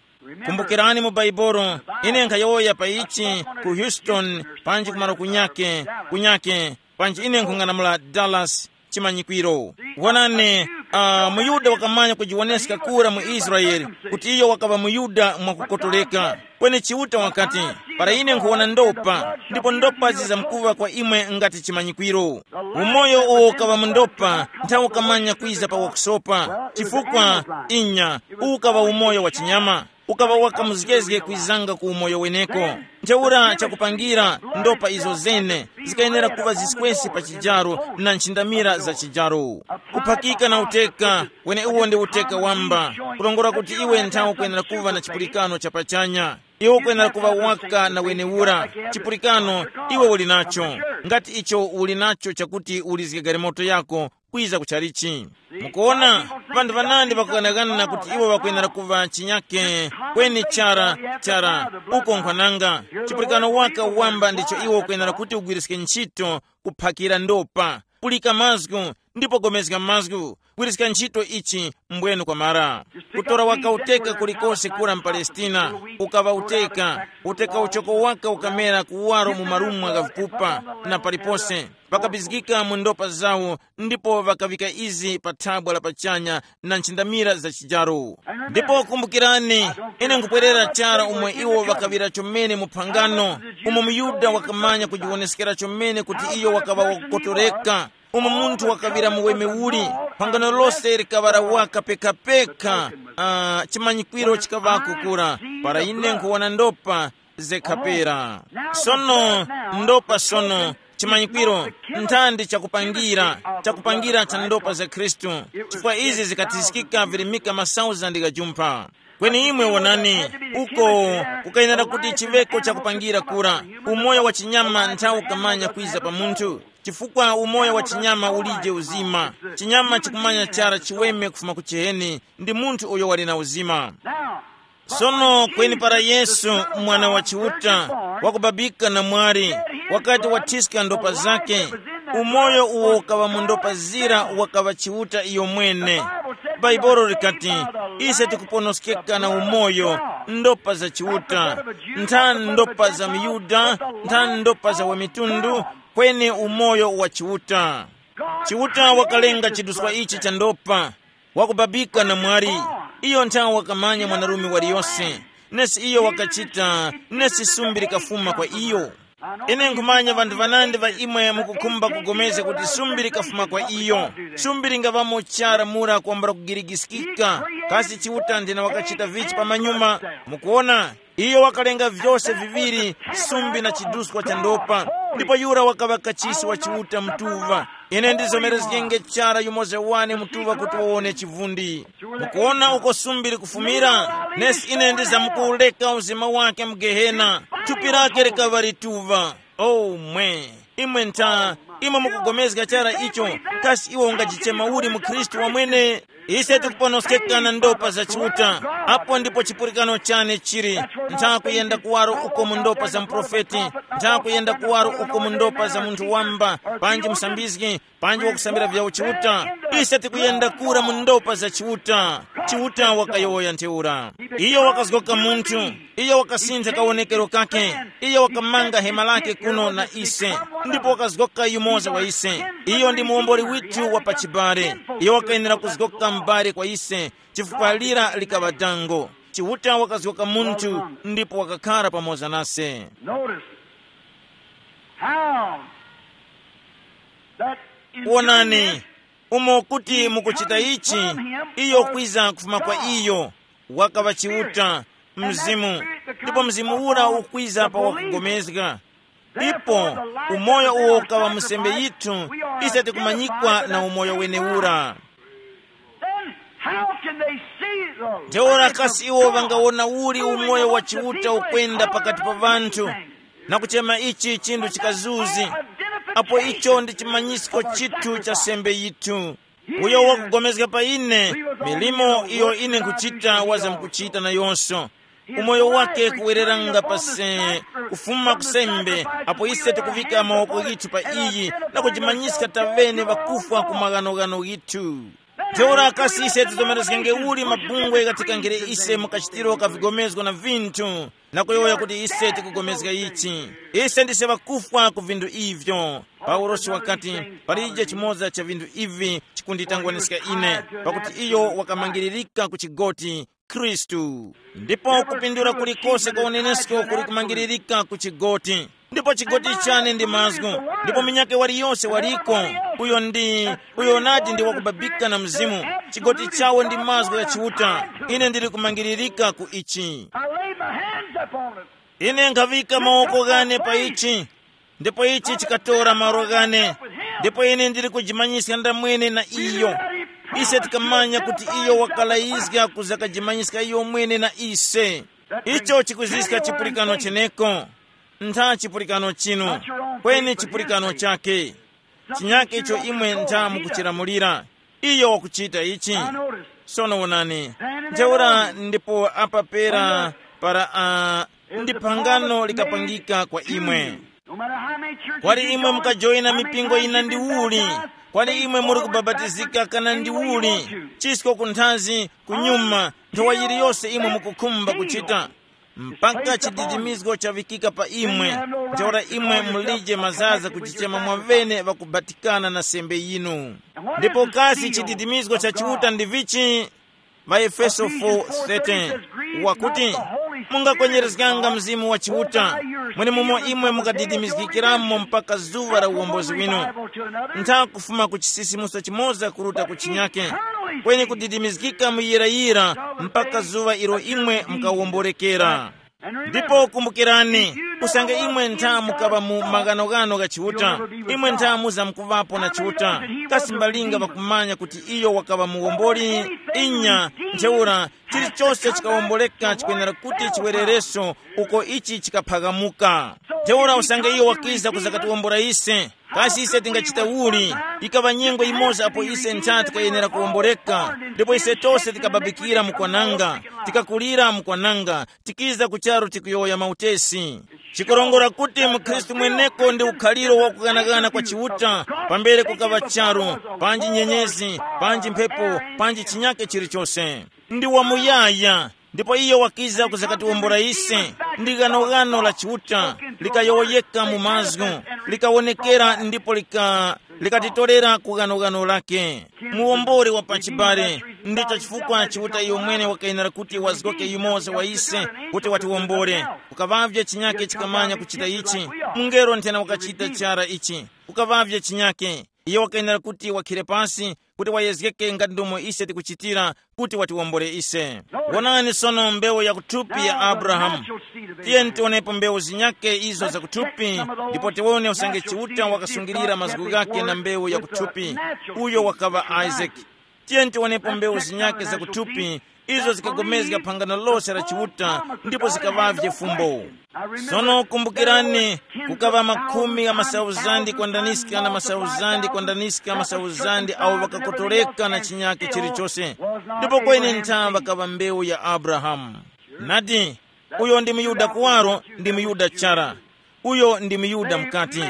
Kumbukirani mu Baibolo, ine nkhayowoya pa ichi ku Houston, panji kumalo kunyake, kunyake, panji ine nkhung'anamula Dallas, chimanyikwiro. Wonani, uh, muYuda wakamanya kujiwoneska kura mu Israele kuti iyo wakaŵa muYuda mwakukotoleka. Kweni Chiuta wakati, para ine nkhuwona ndopa, ndipo ndopa zizamkuŵa kwa imwe ngati chimanyikwiro. Umoyo uwo ukaŵa mu ndopa, nthawe ukamanya kwiza pa wakusopa, chifukwa, inya, uwu ukaŵa umoyo wa chinyama. Ukaŵa wakamuzgezge kwizanga ku umoyo weneko. Ntheura chakupangira, ndopa izo zene zikayenera kuŵa ziswesi pa chijaro na nchindamira za chijaro. Kuphakika na uteka, weneuwo ndi uteka wamba, kulongora kuti iwe nthawe ukwenera kuŵa na chipulikano cha pachanya. Iwe ukwenera kuŵa waka na wenewura. Chipulikano iwe uli nacho, ngati icho uli nacho chakuti ulizge galimoto yako, kwiza ku chalichi. Mukuona, ŵanthu ŵanandi ŵakughanaghana kuti iwo ŵakwenera kuŵa chinyake, kweni chara, chara, uko nkhwananga. Chipulikano waka wamba ndicho iwo ukwenera kuti ugwiriske ntchito, kuphakira ndopa, pulika mazgu, ndipo gomezga mazgu, gwiriska ntchito ichi mbwenu kwamara. Kutora waka uteka kulikose kura mpalestina, ukaŵa uteka, uteka uchoko waka ukamera kuwaro mu marumwa gha vikupa, na palipose pakabizgika mu ndopa zawo, ndipo ŵakaŵika izi pa thabwa la pachanya na nchindamira za chijaro. Ndipo kumbukirani, ine nkupwerera chara umwe iwo ŵakaŵira chomene mu phangano, umo muyuda wakamanya kujiwoneskera chomene kuti iyo wakaŵa wakukotoreka, umo munthu wakaŵira muweme uli, phangano lose likaŵa la waka pekapeka. Uh, chimanyikwiro chikaŵako kura, para ine nkhuwona ndopa, zekhapera. Sono, ndopa sono, Chimanyikwiro, nthandi chakupangira, chakupangira cha ndopa za Khristu, chifukwa izi zikathiskika virimika masauzandi gha jumpha. Kweni imwe wonani, uko kukayenera kuti chiŵeko chakupangira kura, umoyo wa chinyama nthawi ukamanya kwiza pa munthu, chifukwa umoyo wa chinyama ulije uzima. Chinyama chikumanya chara chiweme kufuma ku chiheni, ndi munthu uyo wali na uzima. Sono kweni para Yesu, mwana wa Chiuta, wakubabika na mwari, wakati wathiska ndopa zake, umoyo uwo ukaŵa mu ndopa zira wakaŵa Chiuta iyo mwene. Bhaibuli likati, ise tikuponoskeka na umoyo, ndopa za Chiuta, ntha ndopa za muyuda, ntha ndopa za wamitundu, kweni umoyo wa Chiuta. Chiuta wakalenga chiduswa ichi cha ndopa, wakubabika na mwali. Iyo nthawe wakamanya mwanarume waliyose, nesi iyo wakachita, nesi sumbi likafuma kwa iyo. Ine nkhumanya vanthu vanandi va imwe mukukhumba kugomezga kuti sumbi likafuma kwa iyo. Sumbi lingaŵamo chara mura kwambula kugirigiskika. Kasi Chiuta ndina wakachita vichi pamanyuma? Mukuona, iyo wakalenga vyose viŵiri, sumbi na chiduskwa cha ndopa. Ndipo yura wakaŵa kachisi wa Chiuta mtuva. Ine ndizomerezgenge chara yumoza wane mtuva kuti wawone chivundi. Mukuona uko sumbi likufumira? Nesi ine ndizamkuwureka uzima wake mu Gehena. Thupi lake likaŵa lituva. Oh mwe, imwe ntha, imwe mukugomezga chara icho? Kasi iwe ungajichema uli mu Khristu wamwene? Ise tikuponoskeka na ndopa za Chiuta. Apo ndipo chipulikano chane chili. Ntha kuyenda kuwaro uko mu ndopa za muprofeti, ntha kuyenda kuwaro uko mu ndopa za munthu wamba, panji musambizgi, panji wakusambira vya uchiuta. Ise tikuyenda kura mu ndopa za Chiuta. Chiuta wakayowoya ntheura. Iyo wakazgoka munthu. Iyo wakasintha kawonekero kake. Iyo wakamanga hema lake kuno na ise, ndipo wakazgoka yumoza wa ise. Iyo ndi muwomboli withu wa pachibale. Iyo wakayenera kuzgoka m'bale kwa ise, chifukwa lira likaŵa dango. Chiuta wakazgoka munthu, ndipo wakakhara pamoza nase. Notice how that in doing Wonani, this, umo kuti mukuchita ichi, iyo kwiza kufuma kwa iyo, wakaŵa Chiuta, Mzimu, ndipo Mzimu ura ukwiza pa wakugomezga. Ipo umoyo uwo ukaŵa musembe yithu, ise tikumanyikwa na umoyo wenewura. Then how can they see the Ntheura life kasi of iwo God ŵangawona uli moving umoyo wa amongst the Chiuta people and ukwenda calling pakati it pa a vanthu, good thing? Na kuchema ichi chinthu chikazuzi, apo icho ndi chimanyisko chithu cha sembe yithu. Uyo wakugomezga pa ine, milimo iyo ine nkuchita waza mkuchita nayonso. Umoyo wake kuwereranga pase, kufuma kusembe, apo ise tikuvika mawoko ghithu pa iyi, na kujimanyiska tavene ŵakufwa ku maghanoghano ghithu. Ntheura kasi ise tizomerezgenge uli mabungwe ghatikangire ise mu kachitiro ka vigomezgo na vinthu, na kuyowoya kuti ise tikugomezga ichi? Ise ndise ŵakufwa ku vinthu ivyo. Paulosi wakati, palije chimoza cha vinthu ivi chikunditangwaniska ine, pakuti iyo wakamangiririka ku chigoti, Khristu. Ndipo kupindula kulikose kwa unenesko kuli kumangiririka ku chigoti. Ndipo chigoti chane ndi mazgu, ndipo munyakhe waliyose waliko, uyo ndi, uyo nadi ndi wakubabika na Mzimu. Chigoti chawo ndi mazgu ya Chiuta. Ine ndili kumangiririka ku ichi. I laid my hands upon it. Ine nkhaŵika mawoko ghane pa ichi, ndipo ichi chikatora malo ghane, ndipo ine ndili kujimanyiska ndamwene na iyo. Ise tikamanya kuti iyo wakalayizga kuza kajimanyiska iyo mwene na ise. Icho chikuziska chipulikano cheneko. Ntha chipulikano chinu, kweni chipulikano chake. Chinyake icho imwe ntha mukuchilamulira. Iyo wakuchita ichi. Sono wonani, ntheura ndipo apa pera para uh, ndi phangano likapangika kwa imwe. Kwali imwe mukajoyina mipingo ina ndi uli, kwali imwe muri kubabatizika kana ndi uli, chisko kunthazi, kunyuma, nthowa yiliyose imwe mukukhumba kuchita, mpaka chididimizgo chavikika pa imwe, ntheura imwe mulije mazaza kuchichema mwavene ŵakubatikana na sembe yinu. Ndipo kasi chididimizgo cha Chiuta ndi vichi? Ŵaefeso four thirteen, wakuti, mungakwenyerezganga Mzimu wa Chiuta, mwenemumo imwe mukadidimizgikiramo mpaka zuŵa la uwombozi winu. Ntha kufuma ku chisisimuso chimoza kuruta ku chinyake, kweni kudidimizgika muyirayira mpaka zuŵa ilo imwe mukawomborekera. Ndipo kumbukirani, usange imwe ntha mukaŵa mu maghanoghano gha Chiuta, imwe ntha muzamkuŵapo na Chiuta. Kasi mbalinga ŵakumanya kuti iyo wakaŵa muwomboli? Inya, ntheura chilichose chikawomboleka chikwenera kuti chiwerereso uko ichi chikaphamuka. Ntheura usange iyo wakiza kuzakatiwombora ise, kasi ise tingachita uli? Ikaŵa nyengo yimoza apo ise ntha tikayenera kuwomboreka, ndipo ise tose tikababikira mu kwananga, tikakulira mu kwananga, tikiza ku charu tikuyowoya mautesi. Chikurongora kuti mukhristu mweneko ndi ukhaliro wa kughanagana kwa Chiuta, pambere kukaŵa charu, panji nyenyezi, panji mphepo, panji chinyake chilichose. Ndi wamuyaya. Ndipo iyo wakiza kuzakatiwombora ise. Ndi ghanoghano la Chiuta, likayowoyeka mu mazgu, likawonekera ndipo lika likatitorera ku ghanoghano lake. Muwombori wa pachibale. Ndicho chifukwa Chiuta iyo mwene wakayenera kuti wazgoke yumoza wa ise, kuti watiwombore. Kukaŵavye chinyake chikamanya kuchita ichi. Mungelo nthena wakachita chara ichi. Kukaŵavye chinyake. Iyo wakayenera kuti wakhire pasi, kuti wayezgeke ngati ndomo ise tikuchitira, kuti watiwombole ise. Wonani sono mbewu ya kuthupi ya Abrahamu. Tiyeni tionepo mbewu zinyake izo zakuthupi, ndipo tiwone usange Chiuta wakasungilira mazgu ghake na mbewu ya kuthupi, uyo wakaŵa Isaac. Tiyeni tiwonepo mbewu zinyake zakuthupi, izo zikagomezga phangano lose la Chiuta, ndipo zikaŵavye fumbo. Sono kumbukirani, kukaŵa makhumi gha masauzandi kwandaniska na masauzandi kwandaniska masauzandi awo ŵakakotoleka na chinyake chilichose. Ndipo kweni ntha ŵakaŵa mbewu ya Abrahamu. Nadi, uyo ndi muyuda kuwaro, ndi muyuda chara. Uyo ndi muyuda mukati.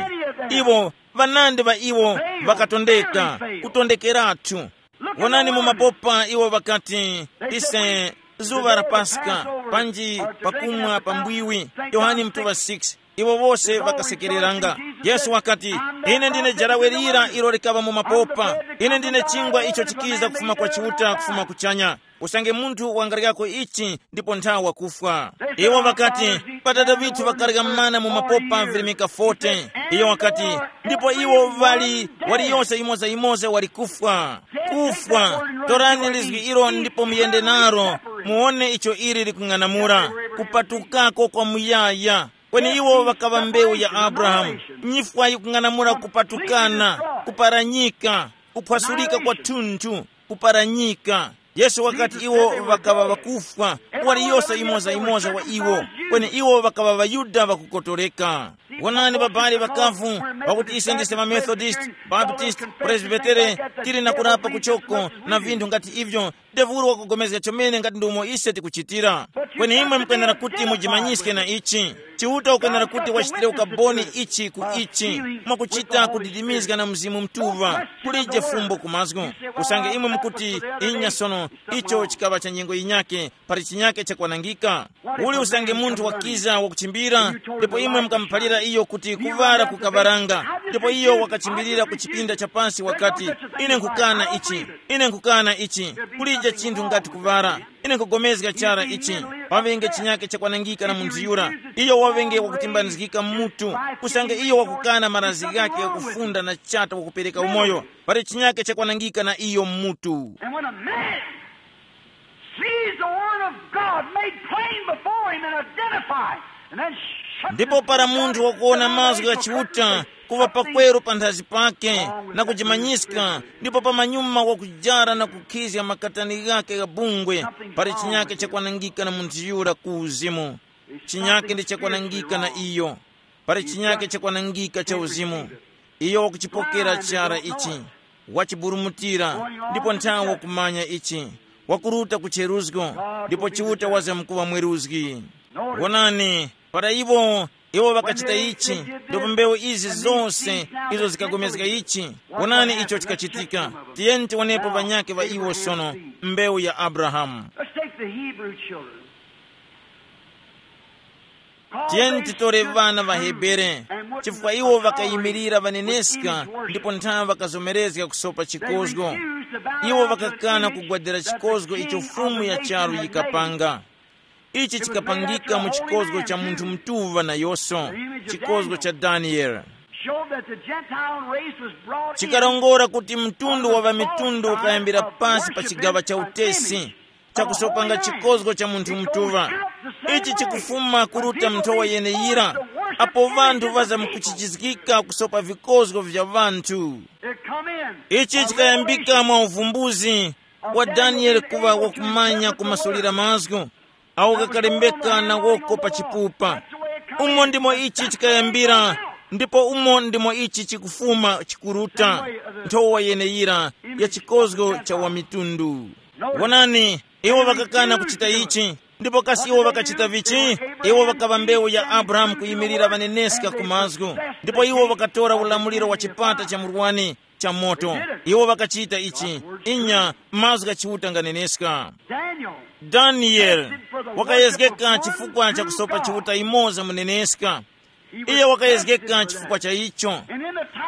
Iwo, ŵanandi ŵa iwo ŵakatondeka, kutondekeratu. Wonani mu mapopa iwo ŵakati, ise, zuŵa la Paska, panji pakumwa pa mbwiwi, Yohane mutuŵa six. Iwo wose ŵakasekereranga. Yesu wakati, ine ndine jarawe lira ilo likaŵa mu mapopa. Ine ndine chingwa icho chikiza kufuma kwa Chiuta, kufuma kuchanya. Usange munthu wangaryako ichi, ndipo nthawa wakufwa. Iwo ŵakati, pa Tate ŵithu ŵakarya mana mu mapopa virimika forty. Iyo wakati, ndipo iwo ŵali, waliyose yimoza-yimoza wali kufwa. Kufwa, torani lizgi ilo ndipo muyende naro, muwone icho ili likung'anamula. Kupatukako kwa muyaya. Kweni iwo ŵakaŵa mbewu ya Abrahamu. Nyifwa yikung'anamula kupatukana, kuparanyika, kuphwasulika kwathunthu, kuparanyika. Yesu wakati iwo ŵakaŵa ŵakufwa, waliyose yimoza-yimoza wa iwo, kweni iwo ŵakaŵa ŵaYuda ŵakukotoleka. Wonani babali ŵakavu, pakuti ise ndise maMethodist, Baptist, Presbytere, tili na kurapa kuchoko na vinthu ngati ivyo, devulu wakugomezga chomene ngati ndi umo ise tikuchitira. Kweni imwe mukwenera kuti mujimanyiske na ichi. Chiuta ukwenera kuti wachitire ukaboni ichi ku ichi, mwakuchita kudidimizga na Mzimu Mutuŵa, kulije fumbo ku mazgu. Usange imwe mukuti, inya sono, icho chikaŵa cha nyengo yinyake, pali chinyake chakwanangika. Uli usange munthu wakiza wakuchimbira, ndipo imwe mukamuphalira iyo kuti kuŵala kukaŵaranga, ndipo iyo wakachimbirira ku chipinda cha pansi wakati, ine nkukana ichi, ine nkukana ichi, kulije chinthu ngati kuŵala. Ine nkugomezga chara ichi, paŵenge chinyake chakwanangika na munthu yura. Iyo waŵenge wakutimbanizgika mmutu, usange iyo wakukana marazi ghake kufunda na chata wakupereka umoyo, pali chinyake chakwanangika na iyo mmutu. And when a man sees the word of God made plain before him and identified, and then shuts ndipo his para books munthu and wakuwona mazgu ya Chiuta kuva pakweru panthazi pake na kujimanyiska, ndipo pamanyuma wakujara na kukhizga makatani ghake gha bungwe, pali chinyake chakwanangika na munthu yura ku uzimu. Chinyake ndi chakwanangika na iyo. Pali chinyake chakwanangika cha uzimu. Iyo wakuchipokera chara ichi, wachiburumutira, ndipo nthawe wakumanya ichi, wakuruta ku cheruzgo, ndipo Chiuta wazamkuŵa mweruzgi. Wonani, para iwo, iwo ŵakachita ichi, ndipo mbewu izi zose izo zikagomezga ichi. Wonani icho chikachitika. Tiyeni tiwonepo ŵanyake ŵa iwo sono, mbewu ya Abrahamu. Let's take the Hebrew children. Tiyeni titore ŵana ŵa Hebere, chifukwa iwo ŵakayimirira ŵaneneska ndipo nthawe ŵakazomerezga kusopa chikozgo. Iwo ŵakakana kugwadira chikozgo icho Fumu ya charu yikapanga. Ichi chikapangika mu chikozgo cha munthu mutuŵa nayonso, chikozgo cha Daniele. Showed that the Gentile race was brought in. Chikarongora kuti mtundu wa ŵamitundu ukayambira pasi pa chigaŵa cha utesi, chakusopanga chikozgo cha munthu mutuŵa. Ichi chikufuma kuruta nthowa yeneyira, apo ŵanthu ŵazamkuchichizgika kusopa vikozgo vya ŵanthu. Ichi chikayambika mwa uvumbuzi wa Danieli kuŵa wakumanya kumasulira mazgu awo ghakalembeka na woko pa chipupa. Umo ndimo ichi chikayambira, ndipo umo ndimo ichi chikufuma chikuruta, nthowa yeneyira ya chikozgo cha wamitundu. Wonani, iwo ŵakakana kuchita ichi. Ndipo kasi iwo ŵakachita vichi? Iwo ŵakaŵa mbewu ya Abrahamu kuyimirira ŵaneneska ku mazgu, ndipo iwo ŵakatora ulamuliro wa chipata cha murwani cha moto. Iwo ŵakachita ichi. Inya, mazgu gha Chiuta nganeneska. Daniel wakayezgeka chifukwa cha kusopa Chiuta imoza muneneska. Iye wakayezgeka chifukwa cha icho.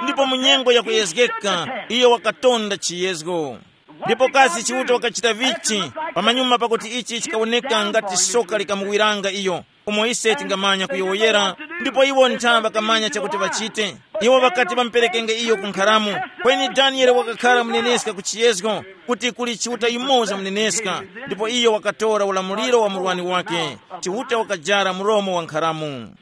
Ndipo mu nyengo ya kuyezgeka, iye wakatonda chiyezgo. Ndipo kasi Chiuta wakachita vichi? Pamanyuma pakuti ichi chikawoneka ngati soka likamuwiranga iyo, umo ise tingamanya kuyowoyera. Ndipo iwo ntha ŵakamanya chakuti ŵachite. Iwo ŵakati ŵamuperekenge iyo ku nkharamu. Kweni Danieli wakakhala muneneska ku chiyezgo, kuti kuli Chiuta yumoza muneneska. Ndipo iyo wakatora ulamuliro wa murwani wake. Chiuta wakajara mulomo wa nkharamu.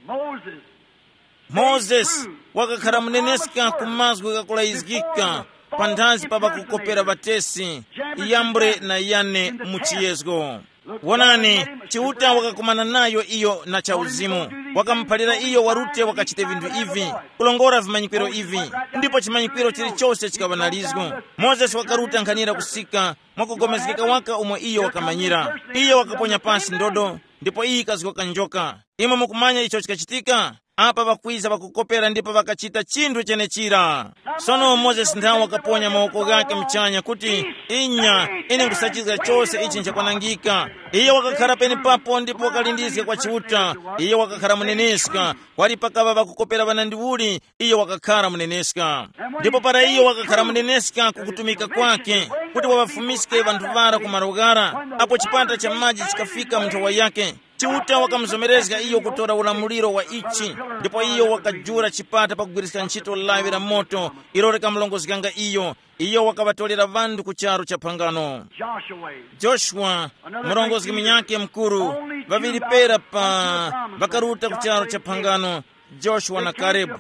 Moses wakakhala muneneska ku mazgu ghakulayizgika panthazi pa ŵakukopera ŵatesi, Yambre na Yane mu chiyezgo. Wonani, Chiuta wakakumana nayo iyo na chauzimu. Wakamuphalira iyo warute wakachite vinthu ivi, kulongora vimanyikwiro ivi, ndipo chimanyikwiro chilichose chikaŵa na lizgu. Mozesi wakaruta nkhanira kusika mwakugomezgeka waka umo iyo wakamanyira. Iyo wakaponya pasi ndodo, ndipo iyi ikazgoka njoka. Imwe mukumanya icho chikachitika? Apa ŵakwiza ŵakukopera ndipo ŵakachita chinthu chenechira. Sono Mozesi nthawe wakaponya mawoko ghake muchanya kuti, inya, ine nkhusachizga chose ichi nchakwanangika. Iye wakakhala penepapo ndipo wakalindizga kwa Chiuta. Iye wakakhala muneneska. Wali pakaŵa ŵakukopera ŵanandiuli, iye wakakhala muneneska. Ndipo para iye wakakhala muneneska ku kutumika kwake, kuti waŵafumiske ŵanthu ŵara ku malo ghara, apo chipata cha maji chikafika mu nthowa yake, Chiuta wakamuzomerezga iyo kutora ulamuliro wa ichi, ndipo iyo wakajula chipata pakugwiriska ntchito lawi la moto ilo likamulongozganga iyo. Iyo wakaŵatorera ŵanthu ku charu cha phangano. Joshua, Joshua, murongozgi munyakhe mukuru, ŵaŵiri pera pa ŵakaruta ku charu cha phangano, Joshua na Karebu.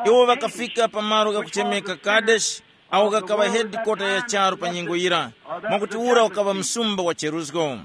Iwo ŵakafika pa malo ghakuchemeka Kadeshi, awo ghakaŵa hedikota ya charu pa nyengo yira, mwakuti ura ukaŵa msumba wa cheruzgo.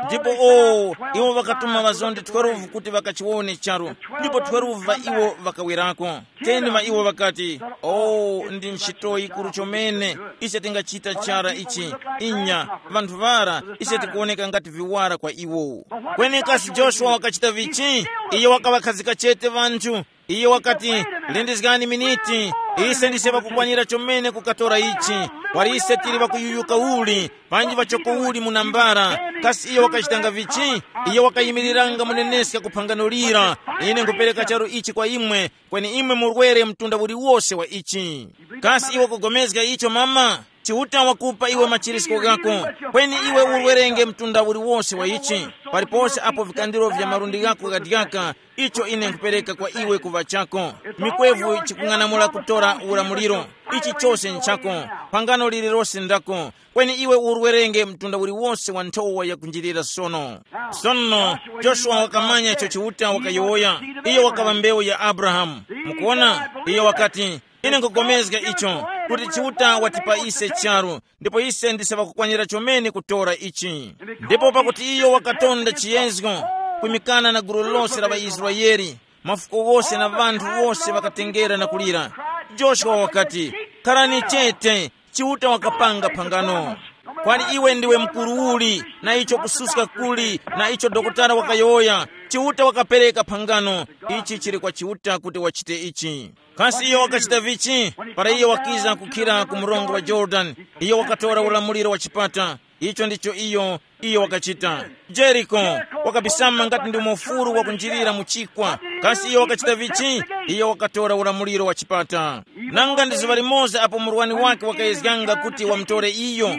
Ndipo o, iwo ŵakatuma ŵazonde twelve kuti ŵakachiwone charu, ndipo twelve ŵa iwo ŵakawerako. Ten ŵa iwo ŵakati, o, ndi ntchito yikuru chomene, ise tingachita chara ichi. Inya, ŵanthu ŵara, ise tikuwoneka ngati viwara kwa iwo. Kweni kasi Joshua wakachita vichi? Iye wakaŵakhazika chete ŵanthu. Iye wakati, lindizgani miniti, ise ndise ŵakukwanira chomene kukatora ichi. Wali ise tili ŵakuyuyuka uli, panji ŵachoko uli mu nambara. Kasi iye wakachitanga vichi? Iye wakayimiriranga muneneska ku phangano lira. Ine nkupereka charu ichi kwa imwe, kweni imwe murwere mtunda uliwose wa ichi. Kasi iwe kugomezga icho mama? Chiuta wakupa iwe machirisko ghako, kweni iwe urwerenge mtunda uliwose wa ichi. Palipose apo vikandiro vya malundi ghako ghadyaka, icho ine nkupereka kwa iwe kuŵa chako. Mikwevu chikung'anamula kutora ulamuliro. Ichi chose nchako. Phangano lililose ndako, kweni iwe urwerenge mtunda uliwose wa nthowa yakunjirira sono. Sono Joshua wakamanya icho Chiuta wakayowoya. Iyo wakaŵa mbewu ya Abrahamu. Mukuona, iyo wakati, ine nkugomezga icho, kuti Chiuta watipa ise charu, ndipo ise ndise ŵakukwanira chomene kutora ichi. Ndipo pakuti iyo wakatonda chiyezgo, kwimikana na gulu lose la ŵaIsraele, mafuko wose na ŵanthu wose ŵakatengera na kulira. Joshua wakati, kharani chete, Chiuta wakapanga phangano. Kwani iwe ndiwe mkuru uli, na icho kususka kuli, na icho dokotala wakayowoya, Chiuta wakapereka phangano. Ichi chili kwa Chiuta kuti wachite ichi. Kasi iyo wakachita vichi? Para iyo wakiza kukhira ku mrongo wa Yorodani, iyo wakatora ulamuliro wa chipata. Icho ndicho iyo, iyo wakachita. Jeriko wakabisama ngati ndi mufuru wakunjirira mu chikwa. Kasi iyo wakachita vichi? Iyo wakatora ulamuliro wa chipata. Nanga ndi zuŵa limoza apo murwani wake wakayezganga kuti wamutore iyo,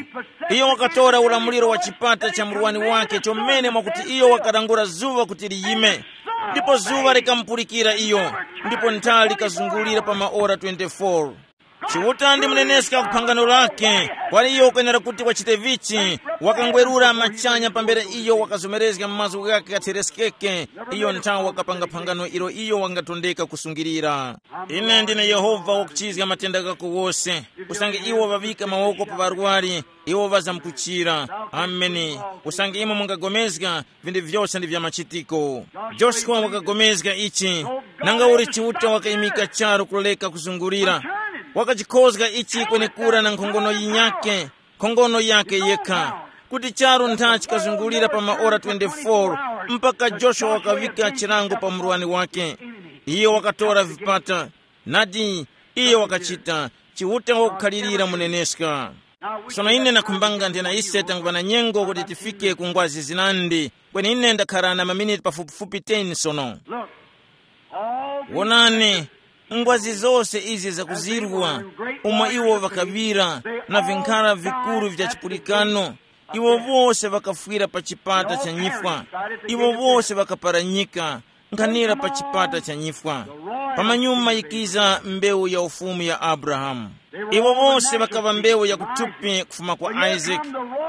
iyo wakatora ulamuliro wa chipata cha murwani wake chomene mwakuti iyo wakalangula zuŵa kuti liyime. Ndipo zuŵa likamupulikira iyo, ndipo nthali likazungulira pa maora twenty-four. Chiuta ndi muneneska ku phangano lake. Kwali iyo ukwenera kuti wachite vichi. Wakangwerura machanya pambere iyo wakazomerezga mazgu ghake ghathereskeke. Iyo nthawi wakapanga phangano ilo iyo wangatondeka kusungirira. Ine ndine Yehova wakuchizga matenda ghako wose. Usange iwo ŵaŵika mawoko pa ŵarwari, iwo ŵazamkuchira. Ameni. Usange imwe mungagomezga, vinthu vyose ndi vya machitiko. Joshua wakagomezga ichi. Nanga uli Chiuta wakayimika charu kuleka kuzungulira, wakachikhozga ichi kwenekura na nkhongono yinyake, nkhongono yake yekha, kuti charu ntha chikazungulira pa maora twenty-four, mpaka Joshua wakaŵika chilango pa murwani wake. Iyo wakatora vipata, nadi, iyo wakachita. Chiuta wakukhalirira muneneska. Sono ine nakhumbanga nthena ise tanguŵa na nyengo kuti tifike ku ngwazi zinandi, kweni ine ndakhara na maminiti pafupifupi ten sono. Wonani, ngwazi zose izi zakuzirwa, umo iwo ŵakaŵira, na vinkhara vikuru vya chipulikano, iwo wose ŵakafwira pa chipata cha nyifwa. Iwo wose ŵakaparanyika, nkhanira pa chipata cha nyifwa. Pamanyuma yikiza mbewu ya ufumu ya Abrahamu. Iwo wose ŵakaŵa mbewu ya kuthupi kufuma kwa Isaac.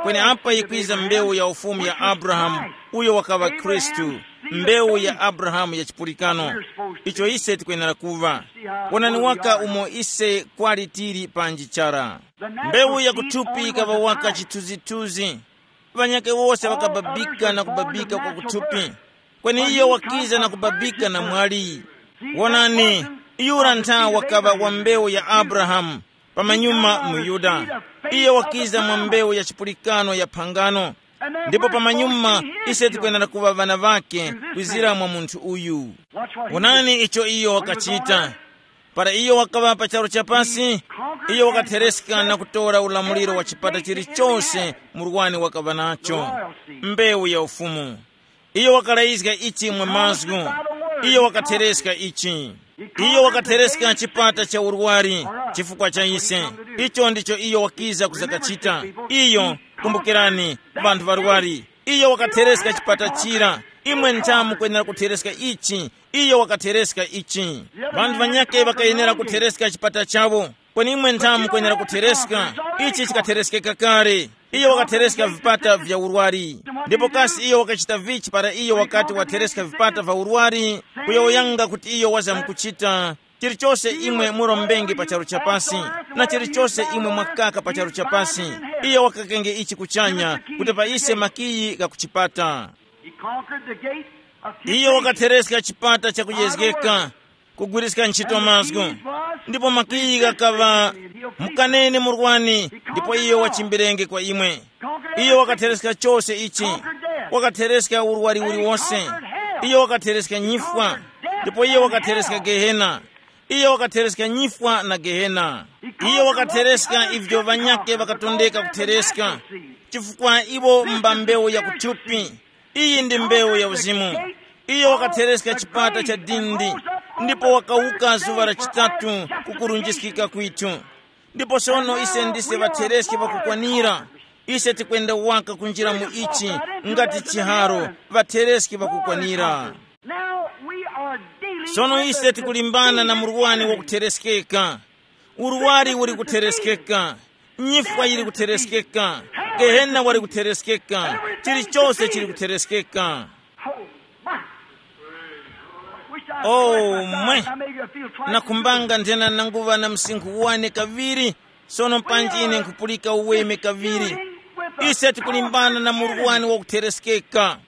Kweni apa yikwiza mbewu ya ufumu ya Abrahamu, uyo wakaŵa Khristu, mbewu ya Abrahamu ya chipulikano. Icho ise tikwenera kuŵa. Wonani waka umo ise kwali tili panji chara. Mbewu ya kuthupi ikaŵa waka chithunzithunzi. Ŵanyakhe wose ŵakababika na kubabika kwa kuthupi, kweni iyo wakiza na kubabika na mwali. Wonani, yura ntha wakaŵa wa mbewu ya Abrahamu, pamanyuma muYuda. Iyo wakiza mwa mbewu ya chipulikano ya phangano, ndipo pamanyuma ise tikwenera kuŵa ŵana ŵake kwizira mwa munthu uyu. Wonani icho iyo wakachita. Para iyo wakaŵa pa charu cha pasi, iyo wakathereska na kutora ulamuliro wa chipata chilichose murwani wakaŵa nacho, mbewu ya ufumu. Iyo wakalayizga ichi mwa mazgu. Iyo wakathereska ichi. Iyo wakathereska chipata cha urwari chifukwa cha ise. Icho ndicho iyo wakiza kuzakachita. Iyo, kumbukirani, vanthu varwari. Iyo wakathereska chipata chira. Imwe nthamu kwenera kuthereska ichi. Iyo wakathereska ichi. Vanthu vanyakhe ŵakayenera kuthereska chipata chawo. Kweni imwe nthamu kwenera kuthereska. Ichi chikathereskeka kale. Iyo wakathereska vipata vya urwari. Ndipo kasi iyo wakachita vichi para iyo wakati wathereska vipata vya urwari? Kuyowoyanga kuti iyo wazamkuchita. Chilichose imwe murombenge pa charu cha pasi, na chilichose imwe mwakaka pa charu cha pasi, iyo wakakenge ichi kuchanya, kuti pa ise makiyi ghakuchipata. He conquered the gate of iyo temptation. Wakathereska chipata chakuyezgeka, kugwiriska ntchito mazgu. Ndipo makiyi ghakaŵa, mukanene murwani, ndipo iyo wachimbirenge kwa imwe. Iyo wakathereska chose ichi. Wakathereska urwari uliwonse. Iyo wakathereska nyifwa, ndipo iyo wakathereska gehena. Iyo wakathereska nyifwa na gehena. Iyo wakathereska ivyo ŵanyakhe ŵakatondeka kuthereska, chifukwa iwo mba mbewu ya kuthupi. Iyi ndi mbewu ya uzimu. Iyo wakathereska chipata cha dindi, ndipo wakawuka zuŵa la chitatu kukurunjiskika kwithu. Ndipo sono ise ndise ŵathereski ŵakukwanira. Ise tikwenda waka kunjira mu ichi, ngati chiharo, ŵathereski ŵakukwanira. Now we are dealing sono with ise the tikulimbana na murwani wakutereskeka. Urwari uri kutereskeka. Nyifwa yiri kutereskeka. Gehena wari kutereskeka. Chilichose chiri kutereskeka. Oh, my. Wish I oh, could, my mwe. I may feel twice as nakhumbanga good. Nthena nanguva na msinkhu wane kaviri. Sono panji ine nkhupulika uweme kaviri. Ise tikulimbana na murwani wakutereskeka.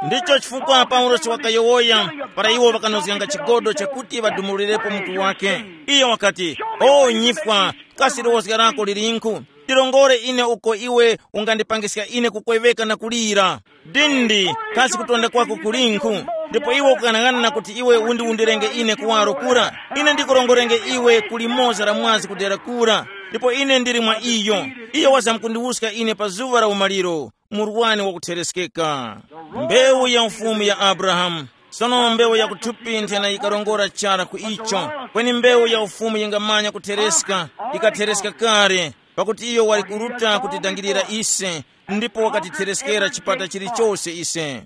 Ndicho chifukwa Paulosi wakayowoya para iwo ŵakanozganga chigodo chakuti ŵadumulirepo mutu wake. Iyo wakati, o nyifwa, kasi liwozga lako lilinkhu? Ndilongore ine uko iwe ungandipangiska ine kukweveka na kulira. Dindi, kasi kutonda kwako kulinkhu? Ndipo iwe ukang'anang'ana kuti iwe undi undirenge ine kuwaro kura? Ine ndikurongorenge iwe ku limoza la mwazi kudera kura, ndipo ine ndili mwa iyo. Iyo wazamkundiwuska ine pa zuŵa la umaliro. Murwani wakutereskeka. Mbewu ya ufumu ya Abrahamu. Sono mbewu ya kuthupi nthena yikarongora chara ku icho, kweni mbewu ya ufumu yingamanya kuthereska, ikathereska kale, pakuti iyo wali kuruta kutidangirira ise, ndipo wakatithereskera chipata chilichose ise.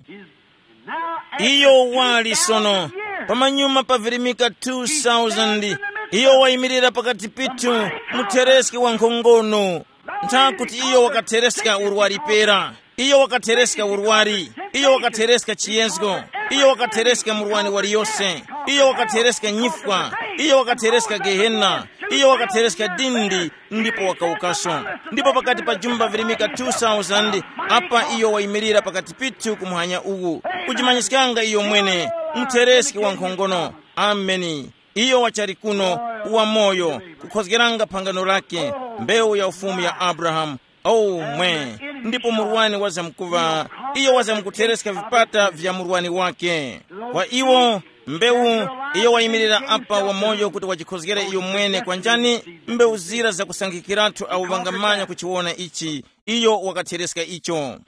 Iyo wali sono, pamanyuma pavirimika two thousand, Iyo wayimirira pakati pithu, muthereski wa nkhongono. Ntha kuti iyo wakathereska urwari pera. Iyo wakathereska urwari. Iyo wakathereska chiyezgo. Iyo wakathereska murwani waliyose. Iyo wakathereska nyifwa. Iyo wakathereska gehena. Iyo wakathereska dindi, ndipo wakawukaso. Ndipo pakati pa jumba virimika two thousand, apa iyo wayimirira pakati pithu kumuhanya uwu, kujimanyiskanga iyo mwene, muthereski wa nkhongono. Ameni. Iyo wachali kuno, wamoyo, kukhozgeranga phangano lake, mbewu ya ufumu ya Abrahamu. Oh mwe, ndipo murwani wazamkuva, iyo wazamkuthereska vipata vya murwani wake. Kwa iwo, mbewu, iyo wayimirira apa wamoyo kuti wajikhozgere iyo mwene kwa njani? Mbewu zira zakusankhikiratu awo ŵangamanya kuchiwona ichi, iyo wakathereska icho.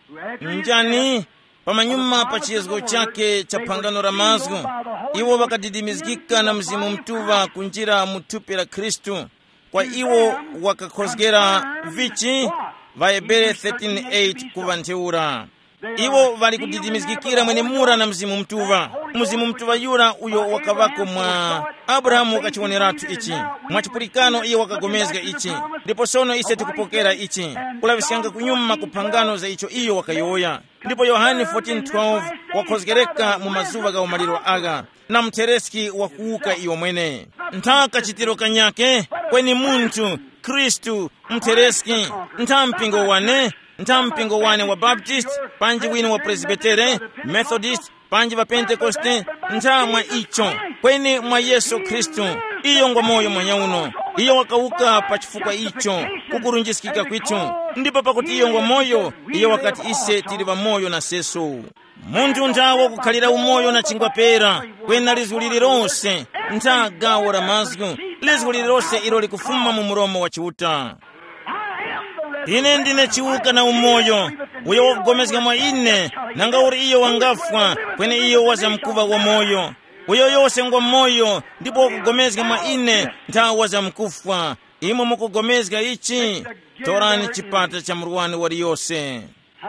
Njani? Pamanyuma pa chiyezgo chake cha phangano la mazgu, iwo ŵakadidimizgika na Mzimu Mutuŵa kunjira mu thupi la Khristu. Kwa iwo wakakhozgera vichi? Ŵahebere thirteen eight kuŵa ntheura. Iwo ŵali kudidimizgikira mwenemura na Mzimu Mutuŵa. Mzimu Mutuŵa yura uyo wakaŵako mwa Abrahamu wakachiwoneratu ichi. Mwa chipulikano iye wakagomezga ichi. Ndipo sono ise tikupokera ichi, kulaŵiskanga kunyuma ku phangano za icho iyo wakayowoya. Ndipo Yohane fourteen twelve wakhozgereka mu mazuŵa gha umaliro agha, na muthereski wakuwuka iyo mwene. Ntha kachitiro kanyake, kweni munthu, Khristu, muthereski, ntha mpingo wane, ntha mpingo wane wa Baptist, panji wine wa Presbytere, Methodist, panji wa Pentekoste, ntha mwa icho, kweni mwa Yesu Khristu. Iyo ngwa moyo mwanyauno. Iyo wakawuka pa chifukwa icho, kukurunjiskika kwithu. Ndipo pakuti iyo ngwa moyo, iyo wakati ise tili ŵamoyo na seso. Munthu ntha wakukhalira umoyo na chingwa pera, kwena lizgu lililonse, ntha gawo la mazgu, lizgu lililonse ilo likufuma mu mulomo wa Chiuta. Ine ndine chiwuka na umoyo. Uyo wakugomezga mwa ine, nanga uri iyo wangafwa, kweni iyo wazamkuŵa wamoyo. Uyo yose ngwa moyo ndipo wakugomezga mwa ine, ntha wazamkufwa. Imwe mukugomezga ichi? Torani chipata cha murwani waliyose.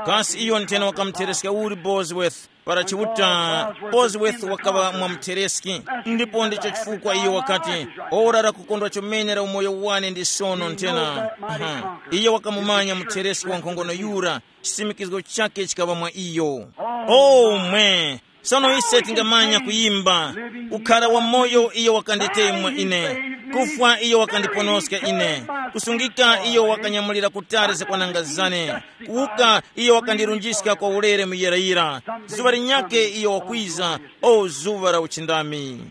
Kasi iyo nthena wakamuthereska uli Bosworth? Para Chiuta, Bosworth wakaŵa mwamuthereski, ndipo ndicho chifukwa iyo wakati, ora la kukondwa chomene la umoyo wane ndi sono nthena. Aha. Iyo wakamumanya muthereski wa nkhongono yura, chisimikizgo chake chikaŵa mwa iyo. O mwe, sono ise tingamanya kuyimba, kukhara wamoyo iyo wakanditemwa ine, kufwa iyo wakandiponoska ine, kusungika iyo wakanyamulira kutali zakwananga zane, kuwuka iyo wakandirunjiska kwa ulere muyirayira. Zuŵa linyakhe iyo wakwiza, o zuŵa la uchindami.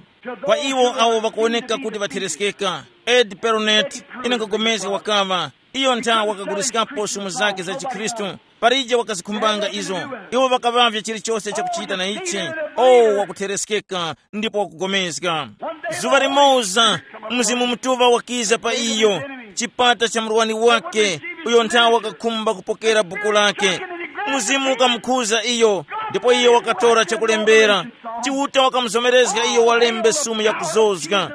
Kwa iwo awo ŵakuwoneka kuti ŵathereskeka, Ed Peronet, ine nkagomezga wakaŵa, iyo ntha wakaguliskapo sumu zake za chikhristu. Palije wakazikhumbanga izo. Iwo ŵakaŵavya chilichose chakuchita na ichi. O, wakuthereskeka ndipo wakugomezga. Zuŵa limoza, Mzimu Mutuŵa wakiza pa iyo, chipata cha murwani wake, uyo nthawe wakakhumba kupokera buku lake. Mzimu ukamukhuza iyo, ndipo iyo wakatora chakulembera. Chiuta wakamuzomerezga iyo walembe sumu yakuzozga.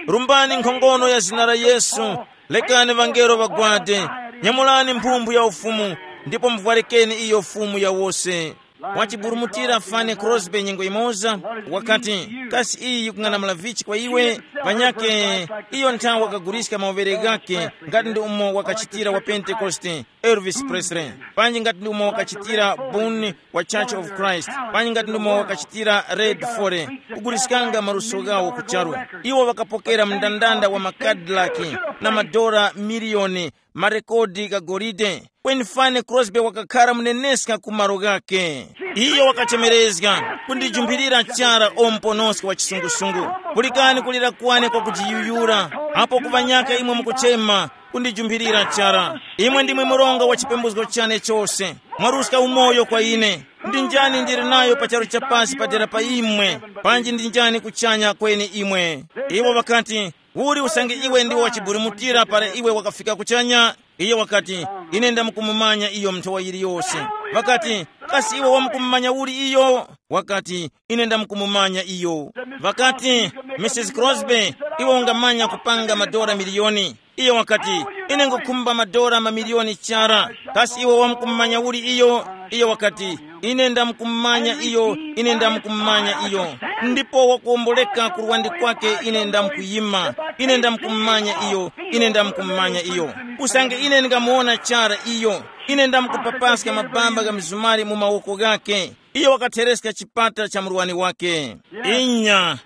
Rumbani nkhongono ya zina la Yesu. Lekani ŵangelo ŵagwade. Nyamulani mphumphu ya ufumu, ndipo muvwarikeni iyo Fumu ya wose. Wachiburumutira Fanny Crosby nyengo imoza, wakati, kasi iyi yikung'anamula vichi kwa iwe? Panyakhe iyo nthawe wakaguliska mawere ghakhe, ngati ndi umo wakachitira wa Pentekoste, Elvis Presley, panji ngati ndi umo wakachitira Boone wa Church of Christ, panji ngati ndi umo wakachitira Red Foley, kuguliskanga maluso ghawo ku charu. Iwo ŵakapokera mndandanda wa makadilaki na madora miliyoni, marekodi gha golide. Kweni Fanny Crosby wakakhara muneneska ku malo ghakhe. Iyo wakachemerezga, kundijumphirira chara o muponoski wa chisungusungu. Pulikani kulira kwane kwa kujiyuyura, apo kuŵanyaka imwe mukuchema, kundijumphirira chara. Imwe ndimwe mronga wa chipembuzgo chane chose. Mwaruska umoyo kwa ine. Ndi njani ndili nayo pa charu cha pasi padera pa imwe? Panji ndi njani kuchanya kweni imwe? Iwo ŵakati, uli usange iwe ndiwe wachiburumutira para iwe wakafika kuchanya? Iyo wakati, ine ndamukumumanya iyo nthowa yiliyose. Ŵakati, kasi iwe wamukumumanya uli iyo? Wakati, ine ndamukumumanya iyo. Ŵakati, Mrs Crosby, iwe ungamanya kupanga madora miliyoni? Iyo wakati, ine ngukhumba madora mamiliyoni chara. Kasi iwe wamukumumanya uli iyo? Iyo wakati, Ine ndamkumanya iyo, ine ndamkumanya iyo. Ndipo wakuwomboleka ku luwandi kwake, ine ndamkuyima. Ine ndamkumanya iyo, ine ndamkumanya iyo. Usange ine ndingamuwona chara iyo, ine ndamkupapaska mabamba gha mizumari mu mawoko ghake. Iyo wakathereska chipata cha murwani wake. Inya,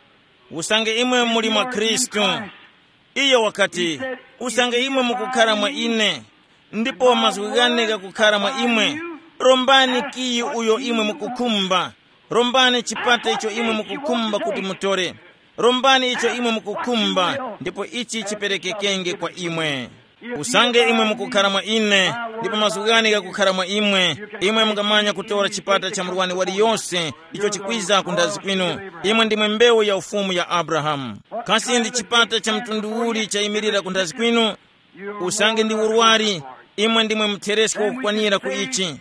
usange imwe muli mwa Khristu. Iyo wakati, usange imwe mukukhara mwa ine, ndipo mazgu ghane ghakukhara mwa imwe, rombani kiyi uyo imwe mukukhumba. Rombani chipata icho imwe mukukhumba kuti mutore. Rombani icho imwe mukukhumba, ndipo ichi chiperekekenge kwa imwe. Usange imwe mukukhara mwa ine, ndipo mazgu ghane ghakukhara mwa imwe, imwe mungamanya kutora chipata cha murwani waliyose icho chikwiza ku nthazi kwinu. Imwe ndimwe mbewu ya ufumu ya Abrahamu. Kasi ndi chipata cha mtundu uli chayimirira ku nthazi kwinu? Usange ndi urwari, imwe ndimwe mutheresko kukwanira ku ichi.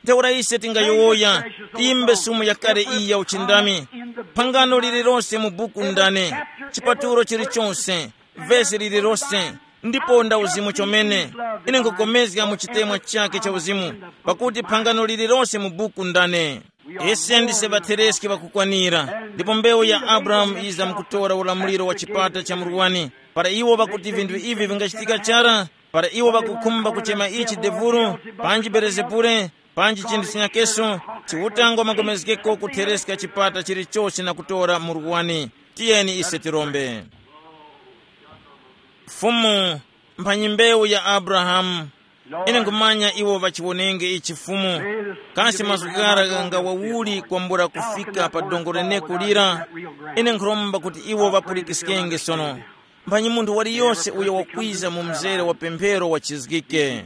Ntheura ise tingayowoya, tiyimbe sumu yakale iyi ya uchindami. Phangano lililose mu buku ndane, chipatulo chilichonse, vesi lililose, ndipo nda uzimu chomene. Ine nkukomezga mu chitemwa chake cha uzimu, pakuti phangano lililose mu buku ndane. Ise ndise ŵathereski ŵakukwanira, ndipo mbewu ya Abrahamu yiza mukutora ulamuliro wa chipata cha murwani. Para iwo ŵakuti vinthu ivi vingachitika chara, para iwo ŵakukhumba kuchema ichi devuru, panji Belezebule, panji chinthu chinyakeso, Chiuta ngwapulikana kuthereska chipata chilichose na kutora murwani. Tiyeni ise tirombe. Fumu, mphanyi mbewu ya Abrahamu, ine nkhumanya iwo ŵachiwonenge ichi Fumu, kasi mazgu ghara ghangawawuli kwambula kufika pa dongo leneko lira? Ine nkhuromba kuti iwo ŵapulikiskenge sono. Mphanyi munthu waliyose uyo wakwiza mu mzere wa pemphero wachizgike.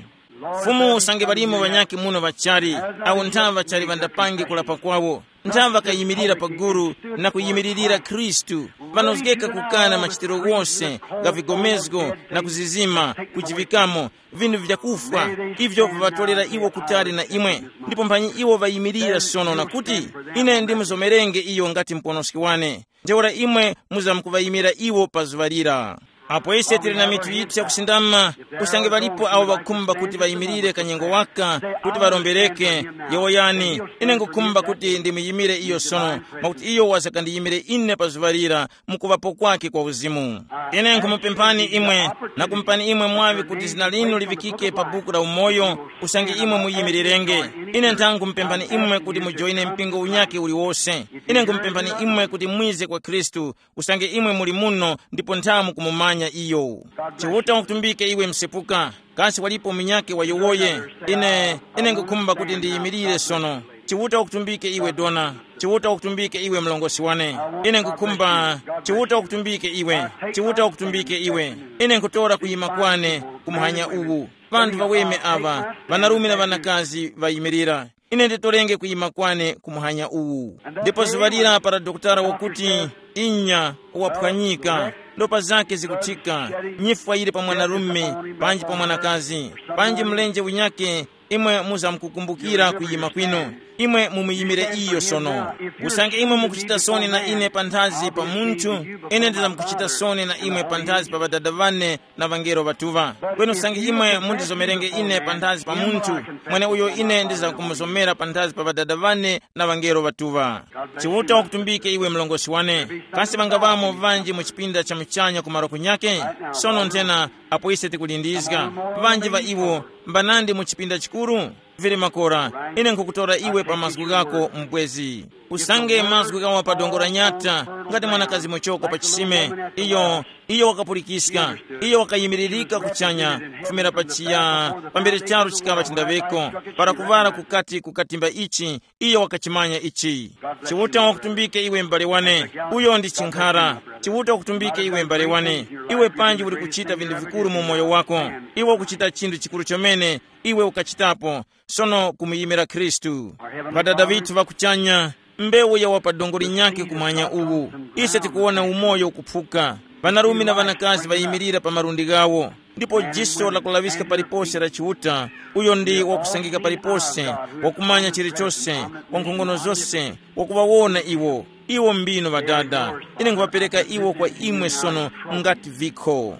Fumu, usange ŵalimo ŵanyakhe muno ŵachali, awo nthaŵa ŵachali ŵandapange kulapa kwawo, nthaŵa ŵakayimirira pa gulu na kuyimiririra Khristu, ŵanozgeka kukana machitiro ghose gha vigomezgo na kuzizima, kujivikamo, vinthu vyakufwa, ivyo viŵatolera iwo kutali na imwe. Ndipo mphanyi iwo ŵayimirira sono na kuti, ine ndimuzomerenge iyo ngati muponoski wane. Ntheura imwe muzamkuŵayimira iwo pa zuŵa lira. Apo ise tili na mitu yithu yakusindama, usange ŵalipo awo ŵakhumba kuti ŵayimirire kanyengo waka kuti ŵarombereke, yowoyani, ine nkhukhumba kuti ndimuyimire iyo sono, mwakuti iyo wazakandiyimire ine pa zuŵa lira mukuŵapo kwake kwa uzimu. Ine nkhumupemphani imwe na kumupani imwe mwaŵi kuti zina linu liŵikike pa buku la umoyo, usange imwe muyimirirenge. Ine ntha nkhumupemphani imwe kuti mujoyine mpingo unyakhe uliwose. Ine nkhumupemphani imwe kuti mwize kwa Khristu, usange imwe muli muno ndipo nthamu kumumanya iyo. Chiuta wakutumbike iwe msepuka, kasi walipo munyakhe wayowoye? Ine, ine ngukhumba kuti ndiyimirire sono. Chiuta wakutumbike iwe dona. Chiuta wakutumbike iwe mlongosi wane. Ine ngukhumba. Chiuta wakutumbike iwe. Chiuta wakutumbike iwe. Ine nkutora kuyima kwane kumuhanya uwu. Vanthu vaweme ava, vanarume na vanakazi vayimirira. Ine nditorenge kuyima kwane ku muhanya uwu. Ndipo zuŵa lira para dokotala wakuti, inya, waphwanyika, ndopa zake zikuthika, nyifwa yili pa mwanarume, panji pa mwanakazi, panji mlenje winyake, imwe muzamkukumbukira kuyima kwinu. Imwe mumuyimire iyo sono. Usange imwe mukuchita soni na ine panthazi pa munthu, ine ndizamkuchita soni na imwe panthazi pa ŵadada ŵane na ŵangelo ŵatuŵa. Kweni usange imwe mundizomerenge ine panthazi pa munthu, mweneuyo ine ndizamkumuzomera panthazi pa ŵadada ŵane na ŵangelo ŵatuŵa. Chiuta wakutumbike iwe mlongosi wane. Kasi ŵangaŵamo ŵanji mu chipinda cha muchanya ku malo kunyake? Sono nthena, apo ise tikulindizga, ŵanji ŵa iwo mbanandi mu chipinda chikuru? Vili makora, ine nkhukutora iwe pa mazgu ghako mubwezi. Usange mazgu ghawa pa dongo la nyata, ngati mwanakazi muchoko pa chisime, iyo, iyo wakapulikiska, iyo wakayimiririka kuchanya, kufumira pa chiya, pambere charu chikaŵa chindaŵeko, para kuŵala kukati kukatimba ichi, iyo wakachimanya ichi. Chiuta wakutumbike iwe m'bale wane, uyo ndi chinkhara. Chiuta wakutumbike iwe m'bale wane, iwe panji uli kuchita vinthu vikuru mu moyo wako, iwe ukuchita chinthu chikuru chomene, iwe ukachitapo, sono kumuyimira Khristu. Ŵadada ŵithu ŵa kuchanya, mbewu yawa pa dongo linyakhe kumwanya uwu. Ise tikuwona umoyo ukuphuka. Ŵanarume na ŵanakazi ŵayimirira pa malundi ghawo, ndipo jiso lakulaŵiska palipose la Chiuta, uyo ndi wakusangika palipose, wakumanya chilichose, wa nkhongono zose, wakuŵawona iwo. Iwo mbino ŵadada. Ine nkhuŵapereka iwo kwa imwe sono ngati vikho.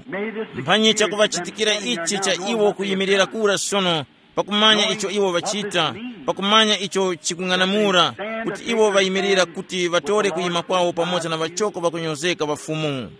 Mphanyi chakuŵachitikira ichi cha iwo kuyimirira kura sono, pakumanya icho iwo ŵachita, pakumanya icho chikung'anamula, kuti iwo ŵayimirira kuti ŵatore kuyima kwawo pamoza na ŵachoko ŵakunyozeka ŵa Fumu.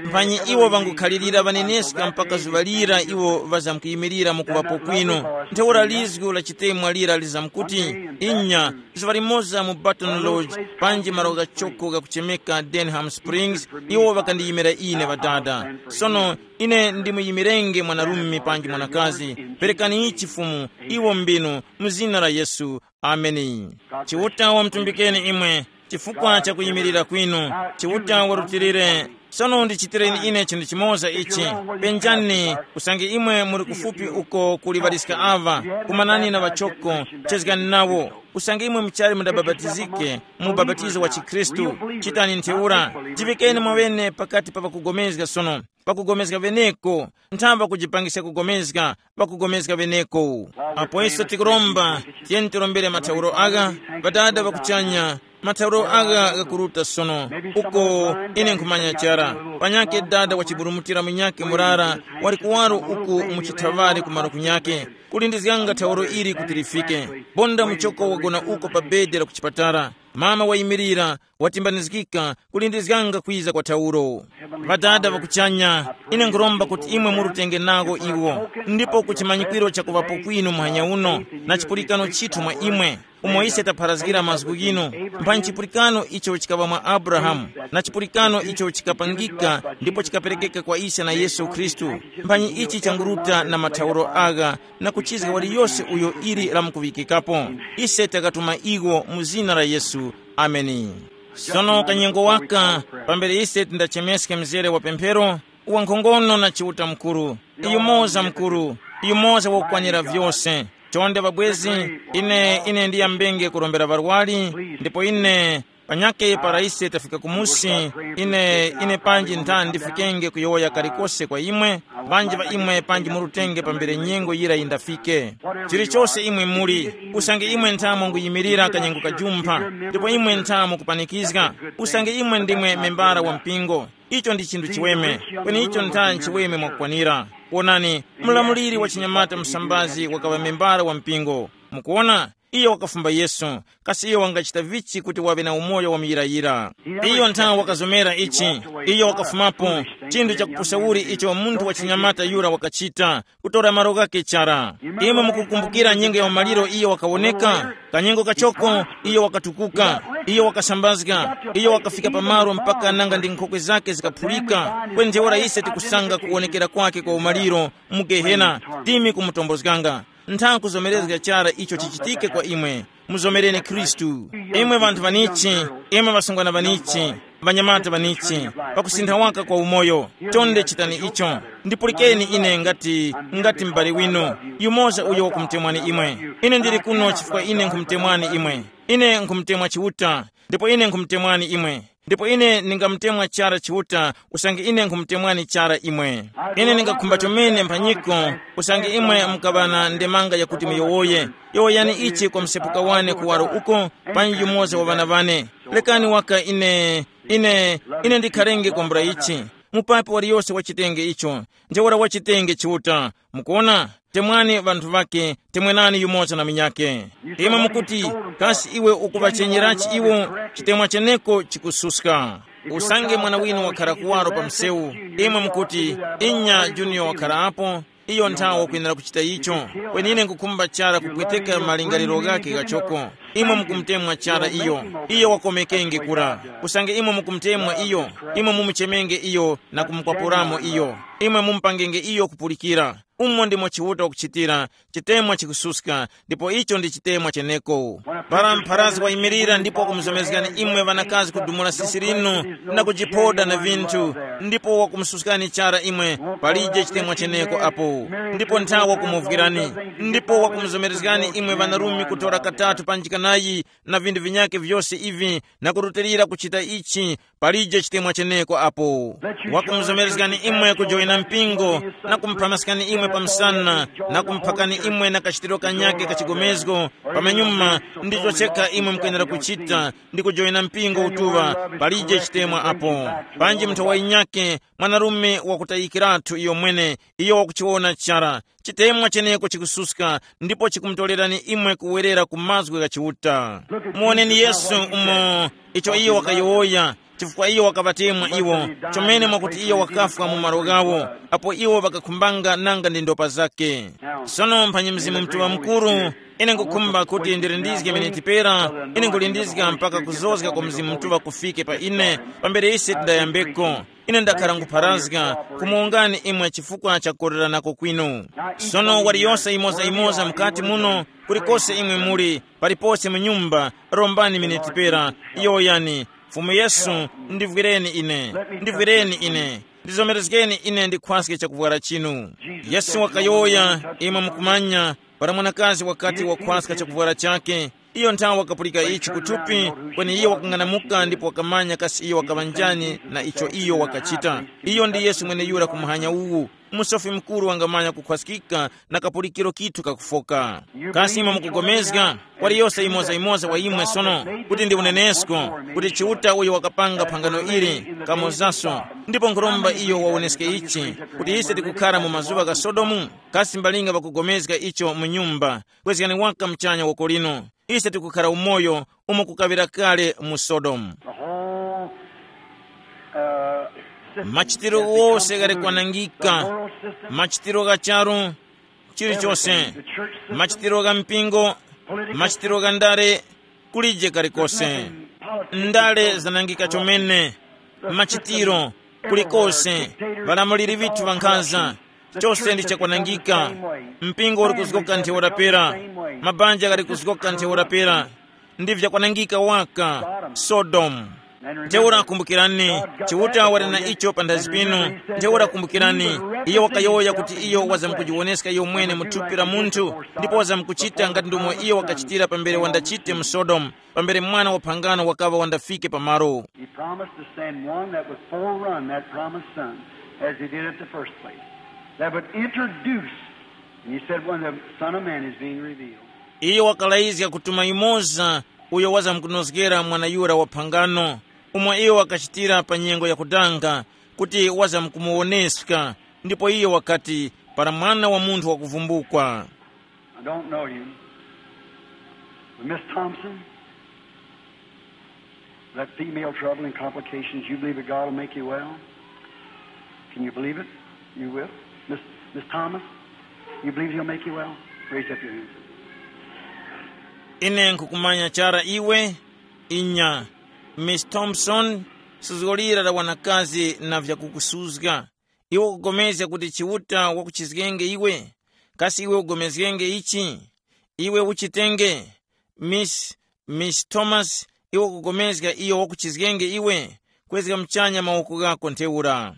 Mphanyi iwo ŵangukhalirira ŵaneneska mpaka zuŵa lira iwo ŵazamkuyimirira mu kuŵapo kwinu. Ntheura lizgu la chitemwa lira lizamkuti, inya, zuŵa limoza mu Baton Lodge, panji malo ghachoko ghakuchemeka Denham Springs, iwo ŵakandiyimira ine Ŵadada. Sono ine ndimuyimirenge mwanarume panji mwanakazi. Perekani ichi Fumu, iwo mbinu, mu zina la Yesu. Ameni. Chiuta wamutumbikeni imwe chifukwa cha kuyimirira kwinu. Chiuta warutilire. Sono ndichitireni ine chinthu chimoza ichi. Penjani, usange imwe muri kufupi uko kuli ŵaliska ava, kumanani na ŵachoko, chezgani nawo. Usange imwe muchali mudabapatizike, mu ubapatizo wa chikhristu, chitani ntheura. Jivikeni mwaŵene pakati pa ŵakugomezga sono. Pakugomezga ŵeneko, nthamba kujipangiska kugomezga, pakugomezga ŵeneko. Apo ise tikuromba, tiyeni tirombere mathauro agha, Ŵadada ŵa kuchanya, mathauro agha ghakuruta sono, uko ine nkhumanya chara. Panyakhe dada wachiburumutira munyakhe murara, wali kuwaro uku mu chithaŵari kumaro kunyakhe, kulindizganga thauro ili kuti lifike. Bonda muchoko wagona uko pa bedi la kuchipatala. Mama wayimirira, watimbanizgika, kulindizganga kwiza kwa thauro. Ŵadada ŵa kuchanya, ine nkhuromba kuti imwe murutenge nawo iwo, ndipo ku chimanyikwiro chakuŵapo kwinu muhanya uno, na chipulikano chithu mwa imwe, umo ise tapharazgira mazgu ghinu, mphanyi chipulikano icho chikaŵa mwa Abrahamu, na chipulikano icho chikapangika ndipo chikaperekeka kwa ise na Yesu Khristu, mphanyi ichi changuruta na mathauro agha, na kuchizga waliyose uyo ili lamkuŵikikapo. Ise takatuma iwo mu zina la Yesu. Ameni. Sono kanyengo waka, pambere ise tindachemeska mzere wa pemphero, wankhongono na Chiuta Mukuru, yumoza Mukuru, yumoza wakukwanira vyose. Chonde ŵabwezi, ine ine ndiyambenge kurombera ŵarwari, ndipo ine panyakhe para ise tafika kumusi, ine ine panji ntha ndifikenge kuyowoya kalikose kwa imwe, ŵanji ŵa imwe panji murutenge pambere nyengo yira yindafike. Chilichose imwe muli, usange imwe nthamo nguyimirira kanyengo kajumpha, ndipo imwe nthamo kupanikizga, usange imwe ndimwe membara wa mpingo, icho ndi chinthu chiweme, kweni icho ntha nchiweme mwakukwanira. Wonani, mlamuliri wa chinyamata msambazi wakaŵa membara wa mpingo. Mukuwona, iyo wakafumba Yesu, kasi iyo wangachita vichi kuti waŵe na umoyo wa muyirayira? Iyo nthawe wakazomera ichi, iyo wakafumapo, chinthu chakupusa uli icho munthu wa chinyamata yura wakachita, kutora malo ghake chara. Imwe mukukumbukira nyengo ya umaliro iyo wakawoneka, kanyengo kachoko iyo wakatukuka, iyo wakasambazga, iyo wakafika pamalo mpaka nanga ndi nkhokwe zake zikaphulika. Kweni ntheura ise tikusanga kuwonekera kwake kwa umaliro mu Gehena, timi kumutombozganga. Ntha kuzomerezga chara icho chichitike kwa imwe. Muzomereni Khristu. Imwe ŵanthu ŵanichi, imwe ŵasungwana ŵanichi, ŵanyamata ŵanichi, pakusintha waka kwa umoyo, chonde chitani icho. Ndipulikeni ine ngati, ngati m'bale winu, yumoza uyo wakumutemwani imwe. Ine ndili kuno chifukwa ine nkhumutemwani imwe. Ine nkhumutemwa Chiuta, ndipo ine nkhumutemwani imwe. Ndipo ine ndingamutemwa chara Chiuta, usange ine nkhumutemwani chara imwe. Ine ndingakhumba chomene mphanyiko, usange imwe mukaŵa na ndemanga yakuti muyowoye. Yowoyani ichi kwa msepuka wane kuwaro uko, panji yumoza wa ŵana ŵane. Lekani waka ine, ine, ine ndikharenge kwambula ichi. Mupapi waliyose wachitenge icho. Ntheura wachitenge Chiuta. Mukuona? Temwani ŵanthu ŵakhe, temwenani yumoza na munyakhe. Imwe mukuti, kasi iwe ukuŵachenyerachi iwo? Chitemwa cheneko chikususka. Usange mwana winu wakhara kuwaro pa msewu, imwe mukuti, inya, Junior wakhara apo, iyo nthawe wakwenera kuchita icho. Kweni ine nkukhumba chara kupweteka malingaliro ghakhe ghachoko. Imwe mukumutemwa chara iyo, iyo wakomekenge kura. Usange imwe mukumutemwa iyo, imwe mumuchemenge iyo na kumukwapuramo iyo. Imwe mumupangenge iyo kupulikira. Umo ndimo Chiuta wakuchitira, chitemwa chikususka, ndipo icho ndi chitemwa cheneko. Para mpharazi wayimirira ndipo wakumuzomezgani imwe ŵanakazi kudumula sisi linu na kujiphoda na vinthu, ndipo wakumususkani chara imwe, palije chitemwa cheneko apo. Ndipo nthawe wakumuvwirani, ndipo wakumuzomerezgani imwe ŵanarume kutora katatu panji kanayi, na vinthu vinyakhe vyose ivi, na kurutilira kuchita ichi, palije chitemwa cheneko apo. Wakumuzomerezgani imwe kujoyina mpingo, na kumupamaskani imwe pa msana, na kumuphakani imwe na kachitiro kanyakhe ka chigomezgo, pamanyuma ndicho chekha imwe mukwenera kuchita, ndi kujoyina mpingo utuŵa, palije chitemwa apo. Panji munthu wayinyakhe, mwanarume wakutayikiratu iyo mwene, iyo wakuchiwona chara, Chitemwa cheneko chikususka, ndipo chikumutorerani imwe kuwerera ku mazgu gha Chiuta. Muwoneni Yesu umo icho iyo wakayowoya, chifukwa iyo wakaŵatemwa iwo, chomene mwakuti iyo wakafwa mu malo ghawo, apo iwo ŵakakhumbanga nanga ndi ndopa zake. Sono mphanyi Mzimu Mutuŵa Mukuru, ine nkukhumba kuti ndirindizge miniti pera, ine nkulindizga mpaka kuzozga kwa Mzimu Mutuŵa kufike pa ine, pambere ise tindayambeko. Ine ndakhara nkupharazga kumuwongani imwe chifukwa cha kukoreranako kwinu. Sono waliyose imoza-imoza mukati muno, kulikose imwe muli, palipose mu nyumba, rombani miniti pera, yowoyani, Fumu Yesu, ndivwireni ine, ndivwireni ine, ndizomerezgeni ine ndikhwaske chakuvwara chinu. Yesu wakayowoya, imwe mukumanya, para mwanakazi wakati wakhwaska chakuvwara chake, iyo nthawe wakapulika ichi kuthupi, kweni iyo wakang'anamuka ndipo wakamanya kasi iyo wakaŵa njani na icho iyo wakachita. Iyo ndi Yesu mweneyura ku muhanya uwu. Musofi mukuru wangamanya kukhwaskika na kapulikiro kithu kakufoka. Kasi imwe mukugomezga, kwali yose imoza-imoza wa imwe sono, kuti ndi unenesko, kuti Chiuta uyo wakapanga phangano ili, kamozaso, ndipo nkhuromba iyo wawoneske ichi, kuti ise tikukhara mu mazuŵa gha Sodomu? Kasi mbalinga ŵakugomezga icho mu nyumba? Kwezgani waka muchanya woko lino. Ise tikukhara umoyo umo kukaŵira kale mu Sodomu. The whole, uh, system Machitiro is become wose ghali polluted. Kwanangika. The moral system, machitiro gha charu, chilichonse, everything. The church system, machitiro gha mpingo, political machitiro gha ndale, kulije kalikose. Nothing. Politics, ndale no zanangika corruption. Chomene. Machitiro, kulikose, ŵalamuliri vithu ŵankhaza, chose ndi chakwanangika. Mpingo uli kuzgoka ntheura pera, mabanja ghali kuzgoka ntheura pera, ndi vyakwanangika waka. Sodomu. Ntheura kumbukirani, Chiuta wali na icho panthazi pinu. Ntheura kumbukirani, iyo wakayowoya kuti iyo wazamkujiwoneska iyo mwene mu thupi la munthu, ndipo wazamkuchita ngati ndomwe iyo wakachitira pambere wandachite mu Sodomu, pambere mwana wa phangano wakaŵa wandafike pamalo. He promised to send one that would forerun that promised son, as he did at the first place, that would introduce, and he said, when the Son of Man is being revealed. Iyo wakalayizga kutuma yumoza uyo wazamkunozgera mwana yura wa phangano, umo iyo wakachitira pa nyengo yakudanga, kuti wazamkumuwoneska, ndipo iyo wakati, para Mwana wa Munthu wakuvumbukwa. I don't know you. But Miss Thompson, that female trouble and complications, you believe that God will make you well? Can you believe it? You will? Miss, Miss Thomas, you believe he'll make you well? Raise up your hand. Ine nkukumanya chara iwe. Inya. Miss Thompson, suzgo lira la wanakazi na vyakukusuzga. Iwe ukupulikana kuti Chiuta wakuchizgenge iwe? Kasi iwe ugomezgenge ichi? Iwe uchitenge. Miss, Miss Thomas, iwe ukupulikana iyo wakuchizgenge iwe? Kwezga muchanya mawoko ghako ntheura.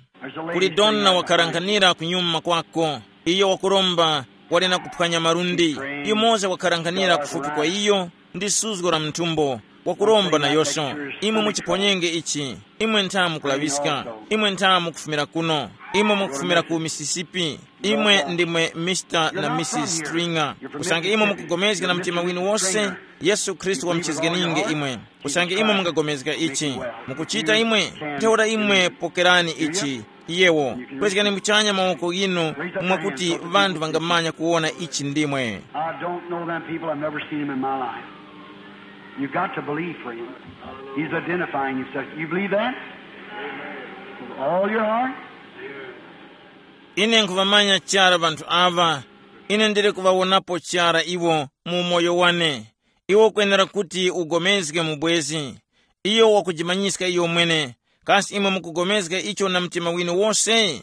Kuli dona wakharankhanira kunyuma kwako. Iyo wakuromba, wali na kuphwanya malundi. Yumoza wakharankhanira kufupi kwa iyo, ndi suzgo la mthumbo, wakuromba nayoso. Imwe muchiphonyenge ichi. Imwe ntha mukulaŵiska. Imwe ntha mukufumira kuno. Imwe mukufumira ku Mississippi. Imwe ndimwe Mister na Missus Stringer. Usange imwe mukugomezga na mtima winu wose, Yesu Khristu wamuchizgeninge imwe. Usange imwe mungagomezga ichi, mukuchita imwe, ntheura imwe pokerani ichi. Yewo, kwezgani muchanya mawoko ghinu, mwakuti ŵanthu ŵangamanya kuwona ichi ndimwe. I don't know them people. I've never seen them in my life. You've got to believe for him. He's identifying himself. You believe that? With all your heart? Ine nkuvamanya chara vanthu ava. Ine ndili kuvawonapo chara iwo mu umoyo wane. Iwe ukwenera kuti ugomezge mu bwezi. Iyo wakujimanyiska iyo mwene. Kasi imwe mukugomezga icho na mtima winu wose?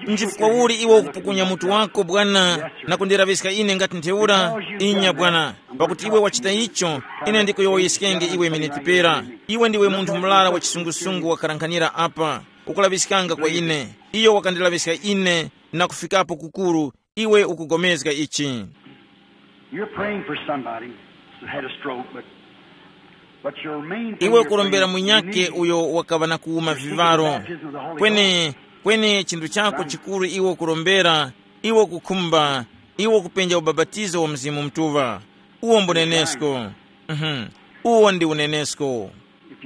Nchifukwa uli iwe ukupukunya mutu wako, Bwana, na kundiraŵiska ine ngati ntheura? Inya, Bwana, pakuti iwe wachita icho, ine ndikuyowoyeskenge iwe miniti pera. Iwe ndiwe munthu murara wa chisungusungu wakharankhanira apa, ukulaŵiskanga kwa ine. Iyo wakandilaŵiska ine na kufikapo kukuru, iwe ukugomezga ichi. You're praying for somebody that had a stroke, but, but your main thing iwe you're kurombera praying munyake is uyo wakaŵa na kuwuma vivaro. Kweni, kweni chinthu chako chikuru iwe kurombera, iwe kukhumba, iwe kupenja ubapatizo wa Mzimu Mutuŵa. Uwo mbunenesko. Mhm. Uwo ndi unenesko.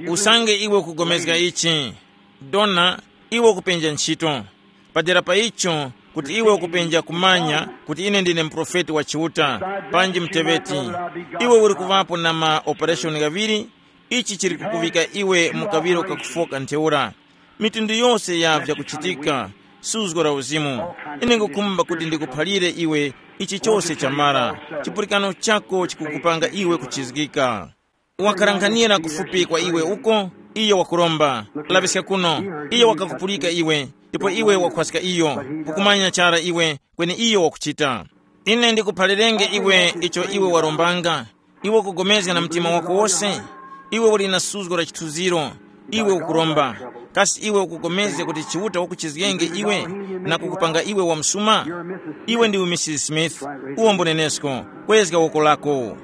Usange iwe ukugomezga ichi, dona, iwe ukupenja ntchito. Padera pa icho, kuti iwe ukupenja kumanya kuti ine ndine muprofeti wa Chiuta, panji muteŵeti. Iwe uli kuŵapo na ma operation ghaŵiri. Ichi chili kukuŵika iwe mu kaŵiro kakufoka ntheura. Mitundu yose ya vyakuchitika, suzgo la uzimu. Ine ngukhumba kuti ndikuphalire iwe ichi chose chamara. Chipulikano chako chikukupanga iwe kuchizgika. Wakalankhanira kufupi kwa iwe uko, iyo wakuromba, laŵiska kuno. Iyo wakakupulika iwe, ndipo iwe wakhwaska iyo, kukumanya chara iwe kweni iyo wakuchita. Ine ndikuphalirenge iwe icho iwe warombanga. Iwe ukugomezga na mtima wako wose. Iwe uli na suzgo la chithunziro. Iwe ukuromba. Kasi iwe ukugomezga kuti Chiuta wakuchizgenge iwe na kukupanga iwe wa msuma? Iwe ndiwe Misisi Smith. Uwo mbunenesko. Kwezga woko lako.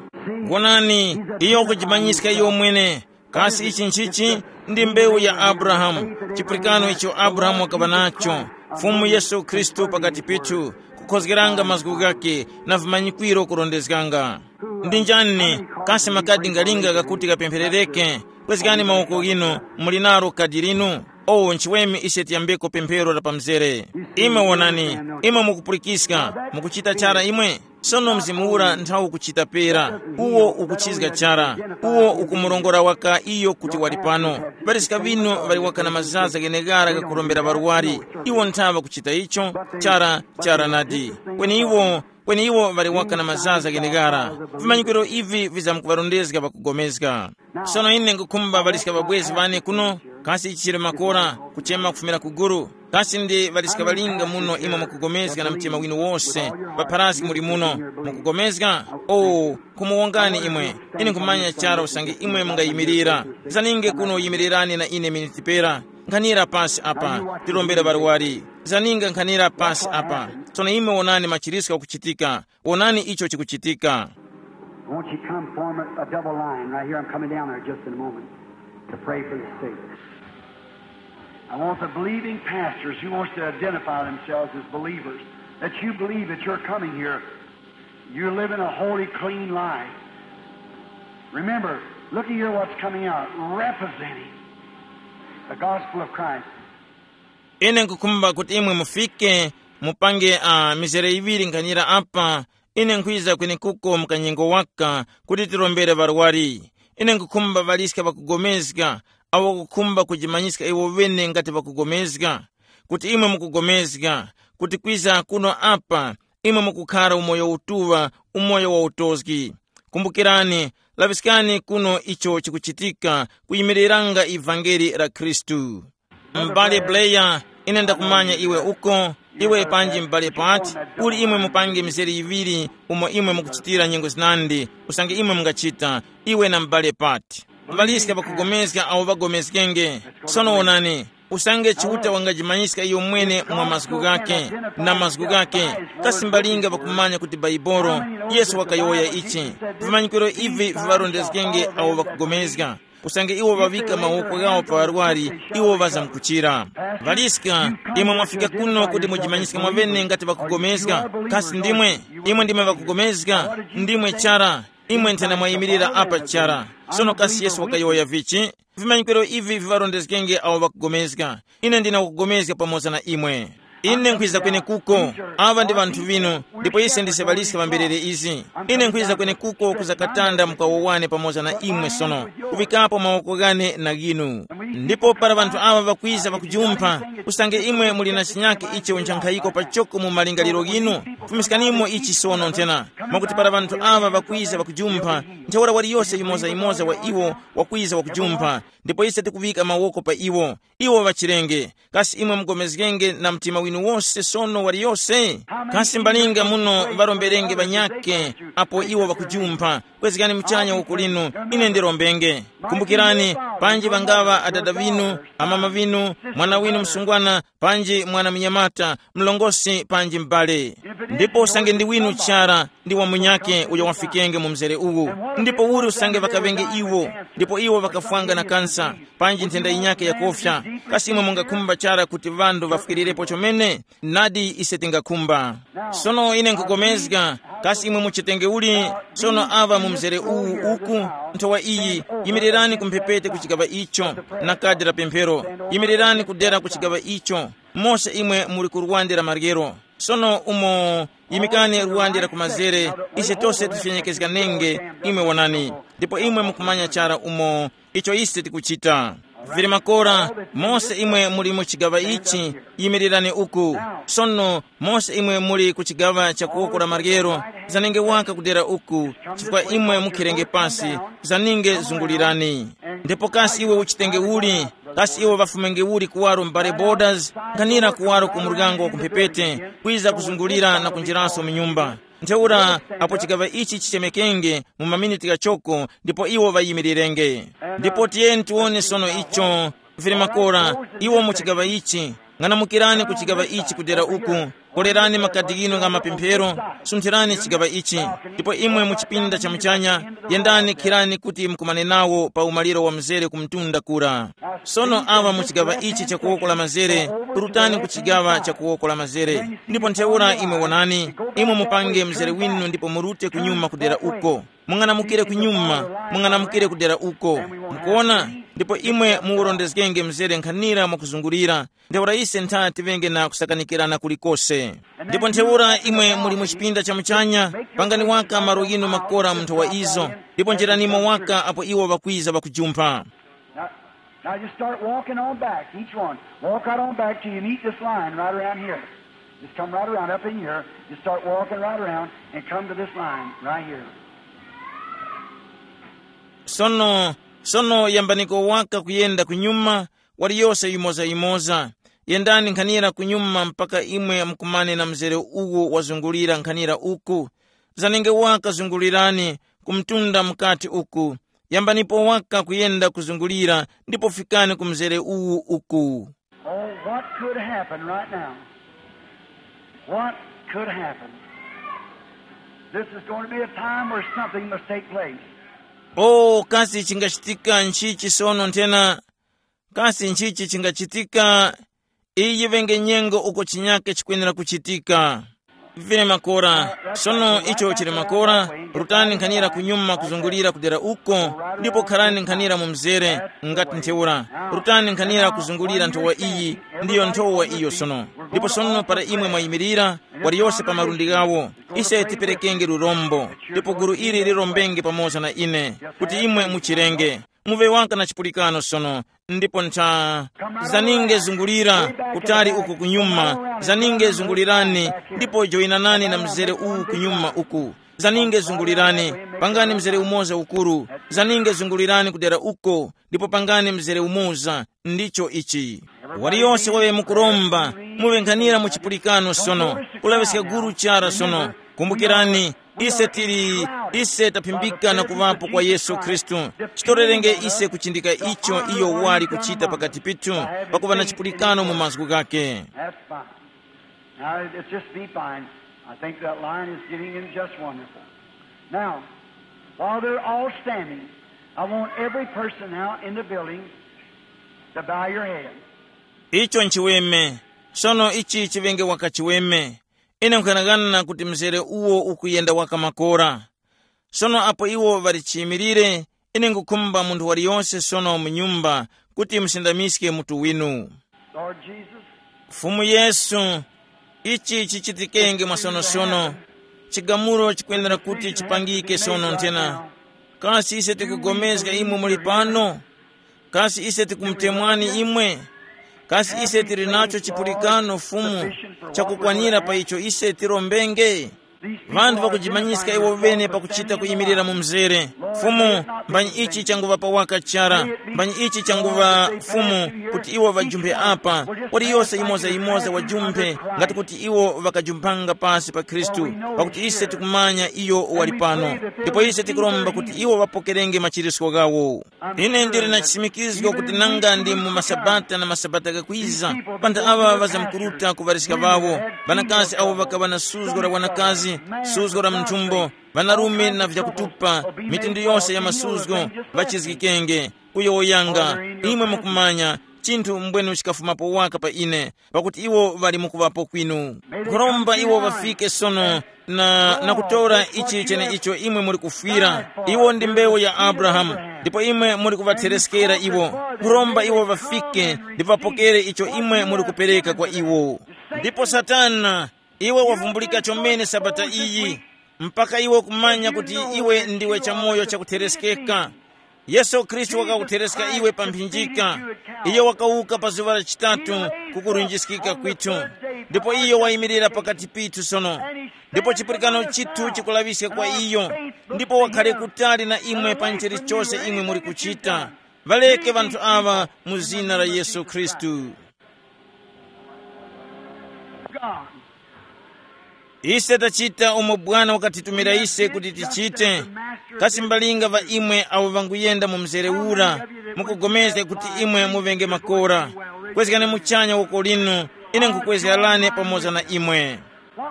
Wonani, iyo wakujimanyiska iyo mwene. Kasi ichi nchichi? Ndi mbewu ya Abrahamu. Chipulikano icho Abrahamu wakaŵa nacho, Fumu Yesu Khristu pakati pithu, kukhozgeranga mazgu ghake na vimanyikwiro kurondezganga. Ndi njani? Kasi makadi ngalinga ghakuti ghapempherereke? Kwezgani mawoko ghinu. Muli nalo kadi linu? O nchiweme ise tiyambeko pemphero la pamzere. Imwe wonani, imwe mukupulikiska, mukuchita chara imwe. Sono mzimu ura nthawu kuchita pera, uwo ukuchizga chara, uwo ukumurongora waka iyo kuti wali pano. Ŵaliska ŵinu ŵali waka na mazaza gheneghara ghakurombera ŵarwari. Iwo nthawa kuchita icho. Chara, chara nadi. Kweni iwo, kweni iwo ŵali waka na mazaza gheneghara. Vimanyikiro ivi vizamkuŵarondezga ŵakugomezga. Sono ine ngukhumba ŵaliska ŵabwezi ŵane kuno, kasi ichi chili makora, kuchema kufumira ku guru. Kasi ndi ŵaliska ŵalinga muno imwe mukugomezga na mtima winu wose, ŵapharasi muli muno, mukugomezga? O, khumuwongani imwe. Ine nkhumanya chara usange imwe mungayimirira. Zaninge kuno yimirirani na ine miniti pera. Nkhanira pasi apa, tirombere ŵarwari. Zaninga nkhanira pasi apa. Sono imwe wonani machiriska kuchitika. Wonani icho chikuchitika. Won't you come form a, a double line right here? I'm coming down there just in a moment to pray for the sick. I want the believing pastors who wants to identify themselves as believers, that you believe that you're coming here. You're living a holy, clean life. Remember, look at here what's coming out, representing the gospel of Christ. Ine nkukhumba kuti imwe mufike, mupange uh, mizere yiŵiri nkhanira apa. Ine nkhwiza kwenekuko mkanyengo waka kuti tirombere ŵarwari. Ine nkukhumba ŵaliska ŵakugomezga, awo kukhumba kujimanyiska iwo ŵene ngati ŵakugomezga, kuti imwe mukugomezga, kuti kwiza kuno apa, imwe mukukhara umoyo utuŵa, umoyo wa utozgi. Kumbukirani, laŵiskani kuno icho chikuchitika, kuyimiriranga ivangeli la Khristu. M'bale Bleya, ine ndakumanya iwe uko, iwe panji m'bale Pati, uli imwe mupange mizere yiŵiri umo imwe mukuchitira nyengo zinandi, usange imwe mungachita, iwe na m'bale Pati. Ŵaliska ŵakugomezga awo ŵagomezgenge. Sono wonani, usange Chiuta wangajimanyiska iyo mwene mwa mazgu ghake, na mazgu ghake, kasi mbalinga ŵakumanya kuti Baibolo, Yesu wakayowoya ichi. Vimanyikiro ivi viŵarondezgenge awo ŵakugomezga. Usange iwo ŵaŵika mawoko ghawo pa ŵarwari, iwo ŵazamkuchira. Ŵaliska, imwe mwafika kuno kuti mujimanyiske mwaŵene ngati ŵakugomezga. Kasi ndimwe? Imwe ndimwe ŵakugomezga? Ndimwe chara. Imwe nthena mwayimirira apa chara. Sono kasi Yesu wakayowoya vichi? Vimanyikiro ivi viŵarondezgenge awo ŵakugomezga. Ine ndina kugomezga pamoza na imwe. Ine nkhwiza kwenekuko. Aŵa ndi ŵanthu ŵinu, ndipo ise ndise ŵaliska ŵamberere izi. Ine nkhwiza kwenekuko kuzakatanda mukawowane pamoza na imwe sono, kuŵikapo mawoko ghane na ghinu. Ndipo para ŵanthu aŵa ŵakwiza ŵakujumpha, usange imwe muli na chinyake icho ncha nkhayiko pachoko mu malingaliro ghinu, fumiskanimo ichi sono nthena. Mwakuti para ŵanthu aŵa ŵakwiza ŵakujumpha, ntheura waliyose yumozayumoza wa iwo wakwiza wakujumpha, ndipo ise tikuŵika mawoko pa iwo. Iwo ŵachirenge. Kasi imwe mugomezgenge na mtima winu wose sono waliyose? Kasi mbalinga muno ŵaromberenge ŵanyakhe apo iwo ŵakujumpha? Kwezgani muchanya woko linu, ine ndirombenge. Kumbukirani, panji ŵangaŵa adada ŵinu, amama ŵinu, mwana winu msungwana, panji mwana munyamata, mlongosi panji m'bale. Ndipo usange ndi winu chara, ndi wa munyakhe uyo wafikenge mu mzere uwu. Ndipo uli usange ŵakaŵenge iwo, ndipo iwo ŵakafwanga na kansa, panji nthenda yinyakhe yakofya, kasi imwe mungakhumba chara kuti ŵanthu ŵafwikirirepo chomene? Nadi ise tingakhumba. Sono ine nkupulikana, kasi imwe muchitenge uli? Sono aŵa mu mzere uwu uku, nthowa iyi, yimirirani ku mphepete ku chigaŵa icho, na kadi la pemphero, yimirirani kudera ku chigaŵa icho. Mose imwe muli ku lwande la maryero. Sono umo, yimikani luwande la kumazere, ise tose tifyenyekezganenge, imwe wonani. Ndipo imwe mukumanya chara umo icho ise tikuchita. Vili makora, mose imwe muli mu chigaŵa ichi, yimirirani uku. Sono mose imwe muli ku chigaŵa cha kuwoko la maryero, zanenge waka kudera uku, chifukwa imwe mukhirenge pasi, zaninge zungulirani. Ndipo kasi iwe uchitenge uli? Kasi iwe ŵafumenge uli kuwaro m'bale Borders? Nkhanira kuwaro ku muryango wa kumphepete, kwiza kuzungulira na kunjiraso mu nyumba. Ntheura apo chigaŵa ichi chichemekenge mu maminiti ghachoko, ndipo iwo ŵayimirirenge. Ndipo tiyeni tiwone sono icho, vili makora, iwo mu chigaŵa ichi. Ng'anamukirani ku chigaŵa ichi kudera uku. Kolerani makadi ghinu gha mapemphero, sunthirani chigaŵa ichi. Ndipo imwe mu chipinda cha muchanya, yendani khirani kuti mukumane nawo pa umaliro wa mzere ku mtunda kura. Sono awa mu chigaŵa ichi cha kuwoko la mazere, rutani ku chigaŵa cha kuwoko la mazere. Ndipo ntheura imwe wonani, imwe mupange mzere winu ndipo murute kunyuma kudera uko. Mung'anamukire kunyuma, mung'anamukire kudera uko. Mukuona? Ndipo imwe muwurondezgenge mzere nkhanira mwakuzungulira. Ntheura ise ntha tiŵenge na kusakanikirana kulikose. Ndipo ntheura imwe muli mu chipinda cha muchanya, pangani waka malo ghinu makora munthu wa izo, ndipo njeranimo waka apo iwo ŵakwiza ŵakujumpha. Now, now just start walking on back, each one. Walk right on back till you meet this line right around here. Just come right around up in here. Just start walking right around and come to this line right here. Sono, sono yambaniko waka kuyenda kunyuma, waliyose yimoza-yimoza. Yendani nkhanira kunyuma mpaka imwe mukumane na mzere uwo wazungulira nkhanira uku. Zanenge waka zungulirani ku mtunda mukati uku. Yambanipo waka kuyenda kuzungulira ndipo fikani ku mzere uwu uku. Oh, what could happen right now? What could happen? This is going to be a time where something must take place. Oh, kasi chingachitika nchichi sono nthena? Kasi nchichi chingachitika? Iyi yiŵenge nyengo uko chinyake chikwenera kuchitika. Vine makora, sono icho chili makora, rutani nkhanira kunyuma kuzungulira kudera uko, ndipo kharani nkhanira mu mzere, ngati ntheura. Rutani nkhanira kuzungulira nthowa iyi, ndiyo nthowa iyo sono. Ndipo sono para imwe mwayimirira, waliyose pa malundi ghawo, ise tiperekenge lurombo, ndipo gulu ili lirombenge pamoza na ine, kuti imwe muchirenge. Muŵe waka na chipulikano sono, ndipo ntha. Zaninge zungulira, kutali uku kunyuma, zaninge zungulirani, ndipo joyinanani na mzere uwu kunyuma uku. Zaninge zungulirani, pangani mzere umoza ukuru. Zaninge zungulirani kudera uko, ndipo pangani mzere umoza. Ndicho ichi. Waliyose wawe mukuromba, muŵe nkhanira mu chipulikano sono, kulaŵiska guru chara sono. Kumbukirani, ise tili, ise taphimbika na kuŵapo kwa Yesu Khristu. Chitorerenge ise kuchindika icho iyo wali kuchita pakati pithu, pakuŵa na chipulikano mu mazgu ghake. That's fine. Now, it's just be fine. I think that line is getting in just wonderful. Now, while they're all standing, I want every person now in the building to bow your head. Icho nchiweme. Sono ichi chiŵenge waka chiweme. Ine nkhanang'ana kuti mzere uwo ukuyenda waka makora. Sono apo iwo ŵali chiyimilire, ine ngukhumba munthu waliyose sono mu nyumba kuti musindamiske mutu winu. Lord Jesus, Fumu Yesu, ichi chichitikenge mwasonosono. Chigamulo chikwenera kuti chipangike sono nthena. Kasi ise tikugomezga imwe muli pano? Kasi ise tikumutemwani imwe? Kasi ise tili nacho chipulikano Fumu chakukwanira pa icho ise tirombenge? Vanthu ŵakujimanyiska iwo bene pakuchita kuyimirira mu mzere. Fumu, mbanyi ichi changuŵa pawaka chara, mbanyi ichi changuŵa Fumu, kuti iwo ŵajumphe apa, waliyose yimoza-yimoza wajumphe, ngati kuti iwo ŵakajumphanga pasi pa Khristu, pakuti ise tikumanya iyo wali pano. Ndipo ise tikuromba kuti iwo ŵapokerenge machirisko ghawo. Ine ndili na chisimikizgo kuti nanga ndi mu masabata na masabata ghakwiza, pantha aŵa ŵazamkuruta kuŵariska ŵawo, ŵanakazi awo ŵakaŵa na suzgo la wanakazi, suzgo la mnthumbo, ŵanarume na vyakutupa, mitundu yose ya masuzgo, ŵachizgikenge. Kuyowoyanga, imwe mukumanya, chinthu mbwenu chikafumapo waka pa ine, pakuti iwo ŵali mukuŵapo kwinu. Nkhuromba iwo ŵafike sono na, na kutora ichi cheneicho imwe muli kufwira. Iwo ndi mbewu ya Abrahamu, ndipo imwe muli kuŵathereskera iwo. Nkhuromba iwo ŵafike ndipo ŵapokere icho imwe muli kupereka kwa iwo. Ndipo Satana, Iwe wavumbulika chomene sabata iyi, mpaka iwe kumanya kuti iwe ndiwe chamoyo chakuthereskeka. Yesu Khristu wakakuthereska iwe pa mphinjika. Iyo wakawuka pa zuŵa la chitatu kukurunjiskika kwithu. Ndipo iyo wayimirira pakati pithu sono. Ndipo chipulikano chithu chikulaŵiska kwa iyo. Ndipo wakhale kutali na imwe pa chilichose imwe muli kuchita. Ŵaleke ŵanthu aŵa mu zina la Yesu Khristu. Ise tachita umo Bwana wakatitumira ise kuti tichite. Kasi mbalinga ŵa imwe awo ŵanguyenda mu mzere ura, mukupulikana kuti imwe muŵenge makora? Kwezgani muchanya woko linu, ine nkhukwezgerani pamoza na imwe.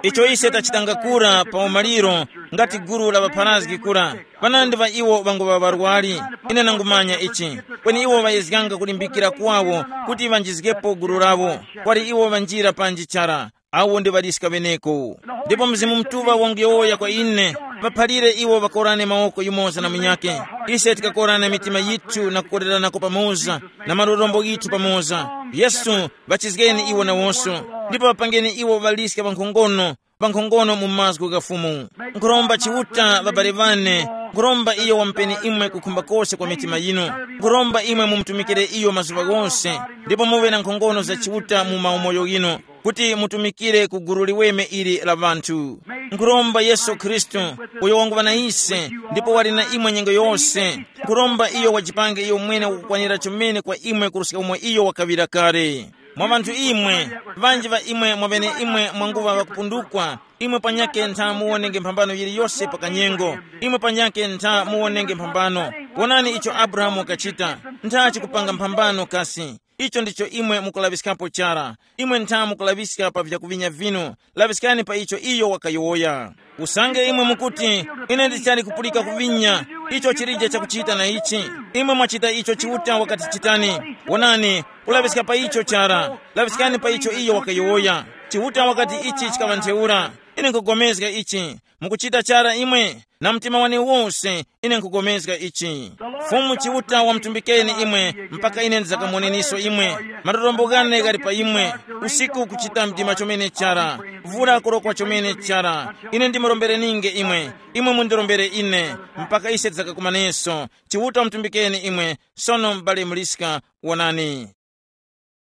Icho ise tachitanga kura pa umaliro, ngati gulu la ŵapharazgi kura, panandi ŵa iwo ŵanguŵa ŵarwari. Ine nangumanya ichi. Kweni iwo ŵayezganga kulimbikira kwawo kuti ŵanjizgepo gulu lawo. Kwali iwo ŵanjira panji chara. Awo ndi ŵaliska ŵeneko. Ndipo Mzimu Mutuŵa wanguyowoya kwa ine, ŵaphalire iwo ŵakorane mawoko yumoza na munyakhe. Ise tikakorana mitima yithu na kukoreranako pamoza, na malorombo ghithu pamoza. Yesu, ŵachizgeni iwo nawonso, ndipo ŵapangeni iwo ŵaliska ŵankhongono, ŵankhongono mu mazgu gha Fumu. Nkhuromba Chiuta, ŵabale ŵane, nkhuromba iyo wamupeni imwe kukhumba kose kwa mitima yinu. Nkhuromba imwe mumutumikire iyo mazuŵa ghose, ndipo muŵe na nkhongono za Chiuta mu maumoyo ghinu, kuti mutumikire ku gulu liweme ili la ŵanthu. Nkhuromba Yesu Khristu, uyo wanguŵa na ise, ndipo wali na imwe nyengo yose. Nkhuromba iyo wajipange iyo mwene wakukwanira chomene kwa imwe kuruska umo iyo wakaŵira kale. Mwa ŵanthu imwe, ŵanji ŵa imwe mwaŵene imwe mwanguŵa ŵakupundukwa, imwe panyakhe ntha muwonenge mphambano yiliyose pa kanyengo, imwe panyakhe ntha muwonenge mphambano. Wonani icho Abrahamu wakachita, ntha chikupanga mphambano kasi. Icho ndicho imwe mukulaŵiskapo chara. Imwe ntha mukulaŵiska pa vyakuŵinya vinu, laŵiskani pa icho iyo wakayowoya. Usange imwe mukuti, ine ndichali kupulika kuŵinya, icho chilije chakuchita na ichi. Imwe mwachita icho Chiuta wakati chitani. Wonani, kulaŵiska pa icho chara, laŵiskani pa icho iyo wakayowoya. Chiuta wakati ichi chikaŵa ntheura. Ine nkugomezga ichi. Mukuchita chara imwe, na mtima wane wose, ine nkugomezga ichi. Fumu Chiuta wamutumbikeni imwe, mpaka ine ndizakamoneniso imwe. Matorombo ghane ghali pa imwe. Usiku kuchita mdima chomene chara. Vula kurokwa chomene chara. Ine ndimurombereninge imwe, imwe mundirombere ine, mpaka ise tizakakumaneso. Chiuta wamutumbikeni imwe. Sono m'bale Muliska, wonani.